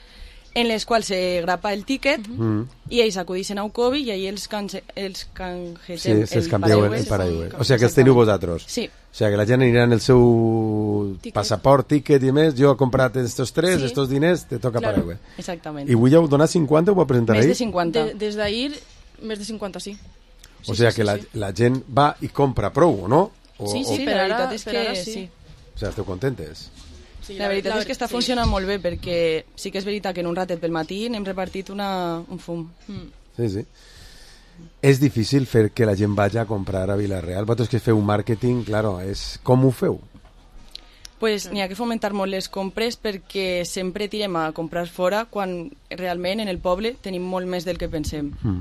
en les quals se grapa el tíquet Mm. i ells acudixen a Ucovi i ahí els, cange, els Sí, canjegem es canvieu el, el paraigües. O sigui, que els teniu vosaltres. Sí. O sigui, que la gent anirà en el seu Ticket. passaport, ticket i més, jo he comprat estos tres, Sí. estos diners, te toca Claro, paraigües. exactament. I avui ja heu donat cinquanta o ho presentar Més ahir? de cinquanta. De, des d'ahir, més de cinquanta, sí. O sigui, que la, la gent va i compra prou, no? O, Sí, sí, o... per la ara, veritat és per que ara sí. sí. O sigui, esteu contentes? Sí, la veritat la- és que està sí. funcionant molt bé perquè sí que és veritat que en un ratet pel matí n'hem repartit una, un fum. Mm. Sí, sí. És difícil fer que la gent vagi a comprar a Vila-real. Vosaltres que feu màrqueting, claro, és... com ho feu? Pues n'hi ha que fomentar molt les compres perquè sempre tirem a comprar fora quan realment en el poble tenim molt més del que pensem. Mm.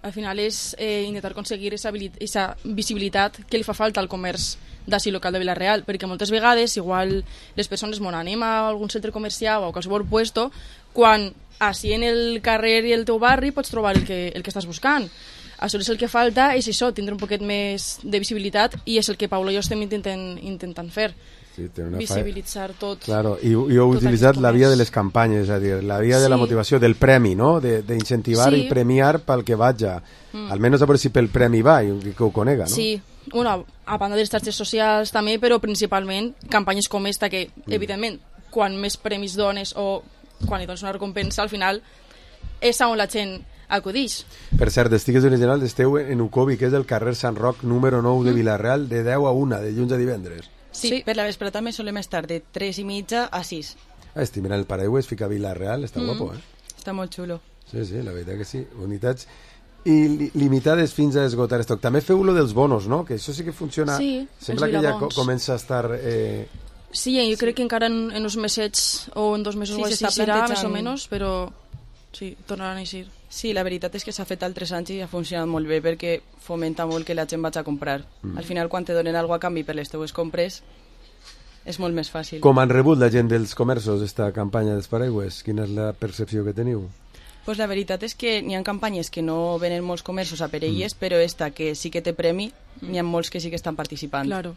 Al final és eh, intentar aconseguir aquesta visibilitat que li fa falta al comerç d'ací local de Vila-real, perquè moltes vegades igual les persones mon anem a algun centre comercial o a qualsevol puesto, quan així en el carrer i el teu barri pots trobar el que, el que estàs buscant. Aleshores el que falta és això, tindre un poquet més de visibilitat i és el que Paula i jo estem intentant, intentant fer. Sí, té una Visibilitzar tot. Claro, i, i heu tot utilitzat aquest la via comerç. de les campanyes, és a dir, la via de la Sí. motivació, del premi, no? D'incentivar Sí. i premiar pel que vaja. Mm. Almenys a veure si pel premi va, i que ho conega, no? Sí, bueno, a banda de les xarxes socials també, però principalment campanyes com esta que, Mm. evidentment, quan més premis dones o quan li dones una recompensa, al final és on la gent acudix. Per cert, d'Estigues Originals esteu en Ucovi, que és el carrer Sant Roc número nou de Mm. Vila-real, de deu a una, de dilluns a divendres. Sí, sí, per la vesprada també solem estar de tres i mitja a sis. Ah, estic mirant el paraigües, fica Vila-real, està Mm. guapo, eh? Està molt xulo. Sí, sí, la veritat que sí. Unitats i li limitades fins a esgotar estoc. També feu lo dels bonos, no? Que això sí que funciona. Sí, Sembla els que ja vilabons. co comença a estar... Eh... Sí, jo crec que encara en, en uns mesets o en dos mesos Sí, o així s'està serà, plantejant. més o menys, però sí, tornaran a eixir. Sí, la veritat és que s'ha fet altres anys i ha funcionat molt bé perquè fomenta molt que la gent vagi a comprar. Mm. Al final, quan te donen alguna a canvi per les teues compres, és molt més fàcil. Com han rebut la gent dels comerços esta campanya dels paraigües? Quina és la percepció que teniu? Pues la veritat és que n'hi ha campanyes que no venen molts comerços a per elles, mm. però esta que sí que té premi, n'hi ha molts que sí que estan participant. Claro.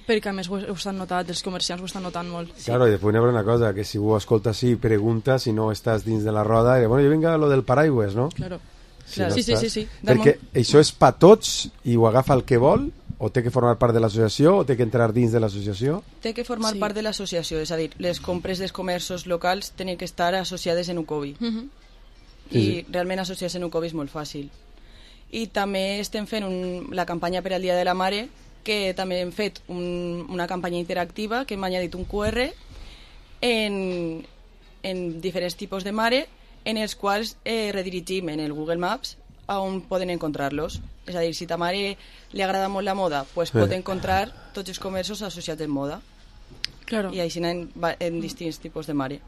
Perquè a més ho, ho estan notat, els comerciants ho estan notant molt. Sí. Claro, i després n'hi ha una cosa, que si ho escoltes sí, pregunta, si no estàs dins de la roda, i bueno, jo vinc a lo del paraigües, no? Claro. Si Claro. no Sí, sí, estàs- sí, sí. Perquè això és pa tots i ho agafa el que vol, o té que formar part de l'associació, o té que entrar dins de l'associació? Té que formar Sí. part de l'associació, és a dir, les compres dels comerços locals tenen que estar associades en Ucovi. Uh -huh. I Sí, sí. realment associar-se en Ucovi és molt fàcil. I també estem fent un, la campanya per al Dia de la Mare, que també hem fet un, una campanya interactiva que hem añadit un Q R en, en diferents tipus de mare en els quals eh, redirigim en el Google Maps a on poden encontrar-los. És a dir, si ta mare li agrada molt la moda, pues pot Eh. encontrar tots els comerços associats en moda. Claro. I així en, va- en distints tipus de mare.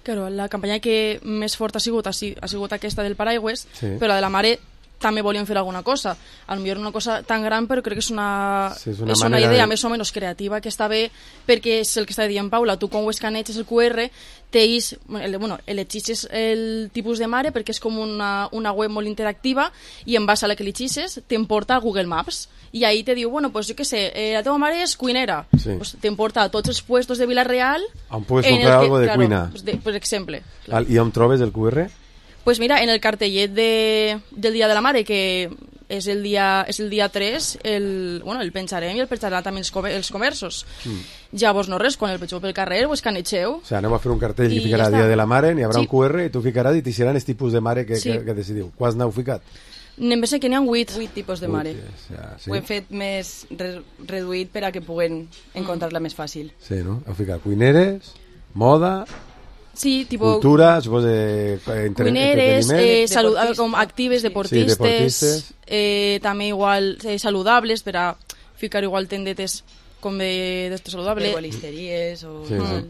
Claro, la campanya que més forta ha sigut ha, si- ha sigut aquesta del paraigües, Sí. però la de la mare també volien fer alguna cosa. A lo millor una cosa tan gran, però crec que és una, sí, és una, és una idea de... més o menys creativa que està bé, perquè és el que està dient Paula, tu quan ho escaneges el Q R, teis, bueno, elegixes el tipus de mare perquè és com una, una web molt interactiva i en base a la que elegixes t'emporta a Google Maps i ahí te diu, bueno, pues jo què sé, eh, la teva mare és cuinera, sí. pues t'emporta a tots els puestos de Vila-real on puedes comprar que, algo de claro, cuina, pues de, per exemple. Claro. I on trobes el Q R? Pues mira, en el cartellet de, del Dia de la Mare, que és el dia, és el dia tres, el, bueno, el penjarem i el penjarà també els, comer, els comerços. Mm. Llavors, no res, quan el vegeu pel carrer, ho escanegeu. O sigui, anem a fer un cartell que ficarà ja Dia de la Mare, n'hi haurà sí. un Q R i tu ficaràs i t'hi seran els tipus de mare que, sí. que, que decidiu. Quants n'heu ficat? N'hem vist que n'hi ha vuit. Vuit tipus de mare. Vuit, ja, sí. Ho hem fet més re reduït per a que puguen encontrar-la més fàcil. Sí, no? Heu ficat cuineres, moda... Sí, tipo cultura, suposo de entre, cuineres, eh, salud, com actives, deportistes, sí, deportistes. Eh, també igual eh, saludables per a ficar igual tendetes com de, de saludable. Herbolisteries o... Sí, sí.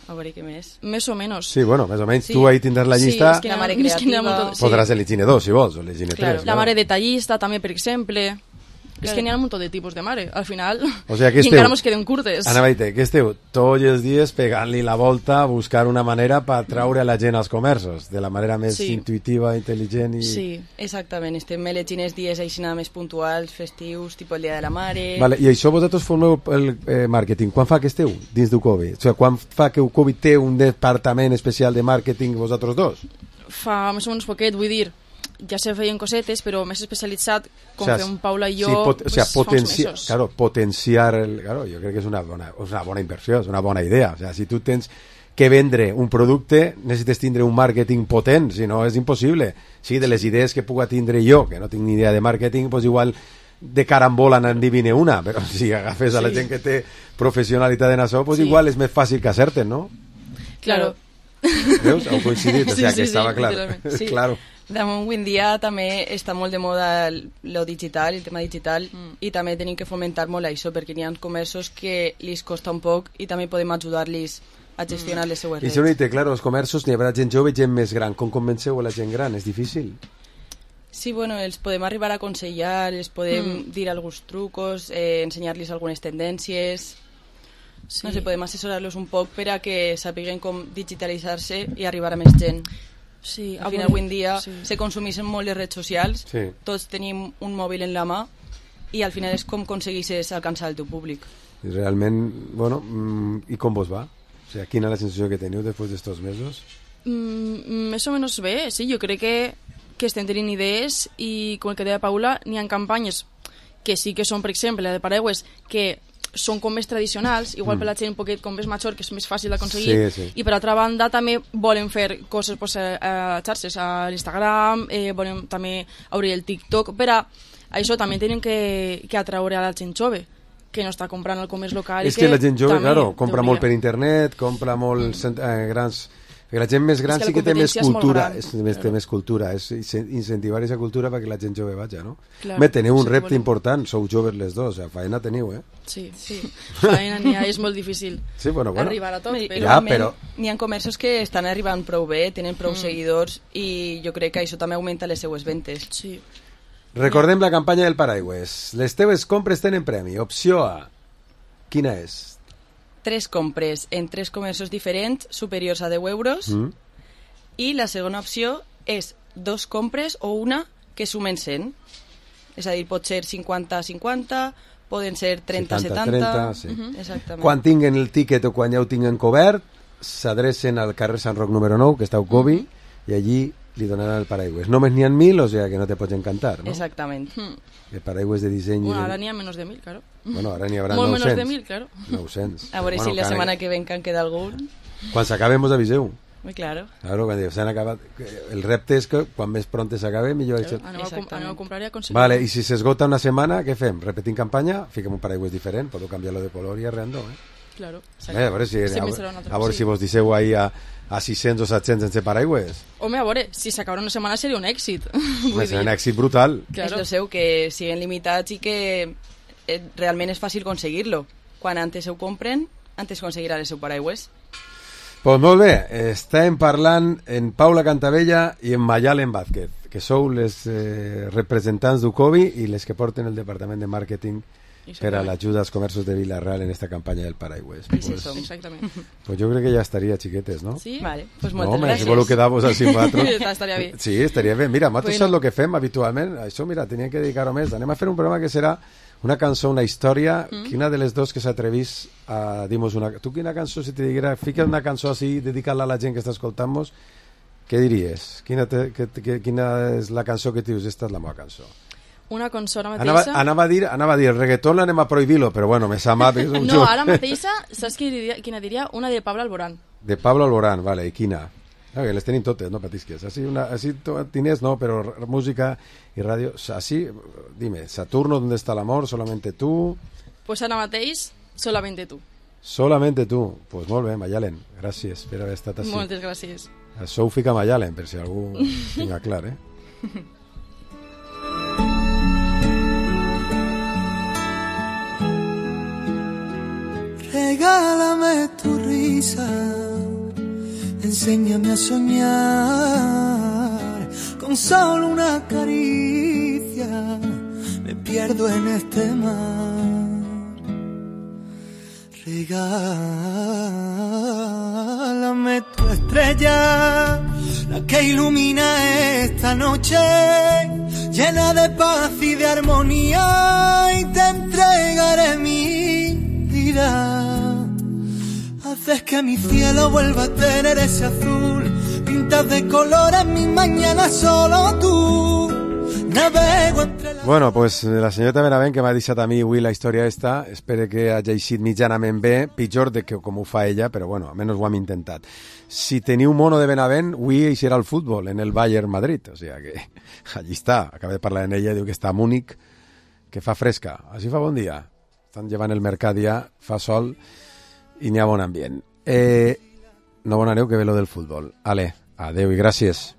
A veure què més. Més o menys. Sí, bueno, més o menys. Sí. Tu ahí tindràs la llista. Sí, és que la mare creativa. Sí. Podràs elegir dos, si vols, o elegir claro. tres. La claro. mare detallista també, per exemple. És que n'hi ha un munt de tipus de mare, al final, o sea, que i esteu, encara mos queden curtes. Ana Baite, que esteu tots els dies pegant-li la volta a buscar una manera per traure a la gent als comerços, de la manera més sí. intuitiva, intel·ligent i... Sí, exactament, estem elegint els dies així més puntuals, festius, tipus el Dia de la Mare... Vale, i això vosaltres formeu el eh, màrqueting, quan fa que esteu dins d'Ucovi? O sigui, quan fa que Ucovi té un departament especial de màrqueting vosaltres dos? Fa més o menys poquet, vull dir, ja se feien cosetes, però més especialitzat, com o sea, fem Paula i jo, sí, pot, pues, o sea, potenci fa uns mesos. Claro, potenciar, el, claro, jo crec que és una bona, és una bona inversió, és una bona idea. O sea, si tu tens que vendre un producte, necessites tindre un màrqueting potent, si no és impossible. Sí, de les idees que puga tindre jo, que no tinc ni idea de màrqueting, pues igual de carambola n'endivine una, però si agafes a la sí. gent que té professionalitat en això, pues sí. igual és més fàcil que acerten, no? Claro. Veus? Heu coincidit, o sí, sea, sí, que estava sí, clar. sí. claro. Damunt, avui en dia també està molt de moda lo digital, el tema digital, mm. i també tenim que fomentar molt això, perquè hi ha comerços que li costa un poc i també podem ajudar-los a gestionar mm. les seues redes. I redes. si no, claro, els comerços n'hi haurà gent jove i gent més gran. Com convenceu a la gent gran? És difícil? Sí, bueno, els podem arribar a aconsellar, els podem mm. dir alguns trucos, eh, ensenyar-los algunes tendències... Sí. No sé, podem assessorar-los un poc per a que sàpiguen com digitalitzar-se i arribar a més gent. Sí, al final avui en dia sí. se consumeixen molt les redes socials, sí. tots tenim un mòbil en la mà i al final és com aconsegueixes alcançar el teu públic. I realment, bueno, i com vos va? O sigui, quina és la sensació que teniu després d'estos mesos? Mm, més o menys bé, sí, jo crec que, que estem tenint idees i com el que deia Paula, n'hi ha campanyes que sí que són, per exemple, la de Paraigües, que són com més tradicionals, igual mm. per la gent un poquet com més major, que és més fàcil d'aconseguir, sí, sí. i per altra banda també volen fer coses pues, a, a xarxes, a l'Instagram, eh, volen també obrir el TikTok, per a això també tenen que, que atraure a la gent jove, que no està comprant al comerç local. És que, que la gent jove, claro, compra hauria. molt per internet, compra molt mm. eh, grans... Perquè la gent més gran que sí que té més cultura, és, és, més, té més cultura, és incentivar aquesta cultura perquè la gent jove vaja, no? Clar, Bé, teniu un sí, repte volem. important, sou joves les dos, o sea, faena teniu, eh? Sí, sí, faena n'hi ha, és molt difícil sí, bueno, bueno. arribar a tot, però... Ja, però... N'hi ha comerços que estan arribant prou bé, tenen prou mm. seguidors i jo crec que això també augmenta les seues ventes. Sí. Recordem la campanya del Paraigües. Les teves compres tenen premi. Opció A. Quina és? Tres compres en tres comerços diferents superiors a deu euros mm. i la segona opció és dos compres o una que sumen cent. És a dir, pot ser cinquanta cinquanta, poden ser trenta setanta... Sí. Uh-huh. Exactament. Quan tinguen el tíquet o quan ja ho tinguen cobert, s'adrecen al carrer Sant Roc número nou, que està a Ucovi, uh-huh. i allí li donaran el paraigües. Només n'hi ha mil, o sea que no te pots encantar, no? Exactament. El paraigües de disseny... Bueno, de... ara n'hi ha menys de mil, claro. Bueno, ara n'hi haurà Molt nou-cents. menys de mil, claro. nou-cents. A veure bueno, si la setmana que ven que en queda algun. Quan s'acaben vos aviseu. Muy claro. Claro, quan s'han acabat... El repte és que quan més pronte s'acabe, millor... Claro, aneu, a com aneu a comprar i a aconseguir. Vale, i si s'esgota una setmana, què fem? Repetim campanya, fiquem un paraigües diferent, podeu canviar-lo de color i arreando, eh? Claro. Bé, a veure si, a, a, a, veure si vos disseu ahí a, a sis-cents o set-cents sense paraigües. Home, a veure, si s'acaba una setmana seria un èxit. Vull dir. Un èxit brutal. Claro. És el seu, que siguen limitats i que eh, realment és fàcil aconseguir-lo. Quan antes ho compren, antes aconseguirà el seu paraigües. Pues molt bé, estem parlant en Paula Cantavella i en Mayalen Vázquez, que sou les eh, representants d'Ucovi i les que porten el departament de màrqueting per a l'ajuda als comerços de Vila-real en esta campanya del Paraigües. Pues, sí, som, exactament. Pues jo crec que ja estaria, xiquetes, ¿no? Sí? Vale, pues moltes no, home, gràcies. si voleu quedar-vos així vosaltres. Estaria bé. Sí, estaria bé. Mira, nosaltres Bueno. saps el que fem habitualment? Això, mira, tenia que dedicar-ho més. Anem a fer un programa que serà una cançó, una història, mm. que una de les dos que s'atrevís a dir-nos una... Tu quina cançó, si te diguera, fica una cançó així, dedicar-la a la gent que està escoltant-nos, què diries? Quina, te, que, que, quina és la cançó que dius? Esta és la meva cançó. Una cançó ara Anava, mateixa... anava, a dir, anava a dir, el reggaetón anem a prohibir-lo, però bueno, me sap mal. Un no, ara mateixa, saps qui diria, quina diria? Una de Pablo Alborán. De Pablo Alborán, vale, i quina? Okay, les tenim totes, no patisques. Així, una, així tienes, no, pero música y radio, así, dime, Saturno, ¿dónde está el amor? Solamente tú. Pues ara mateix, solamente tú. Solamente tú. Pues molt bé, Mayalen, gràcies per haver estat així. Moltes gràcies. Això ho fica Mayalen, per si algú tinga clar, eh? Regálame tu risa, enséñame a soñar, con solo una caricia me pierdo en este mar. Regálame tu estrella, la que ilumina esta noche, llena de paz y de armonía, y te entregaré mi vida. Haces que mi cielo vuelva a tener ese azul, pintas de colores mis mañanas solo tú. Navego entre la... Bueno, pues la senyora Benavent, que m'ha deixat a mi avui la història esta, espero que hagi eixit mitjanament bé, pitjor de que com ho fa ella, però bueno, almenys ho hem intentat. Si teniu mono de Benavent, avui eixirà el futbol en el Bayern Madrid, o sigui que allí està, acaba de parlar amb ella, diu que està a Múnich, que fa fresca, així fa bon dia, estan llevant el mercat ja, fa sol i n'hi ha bon ambient. Eh, no bon aneu, que ve lo del futbol. Ale, adeu i gràcies.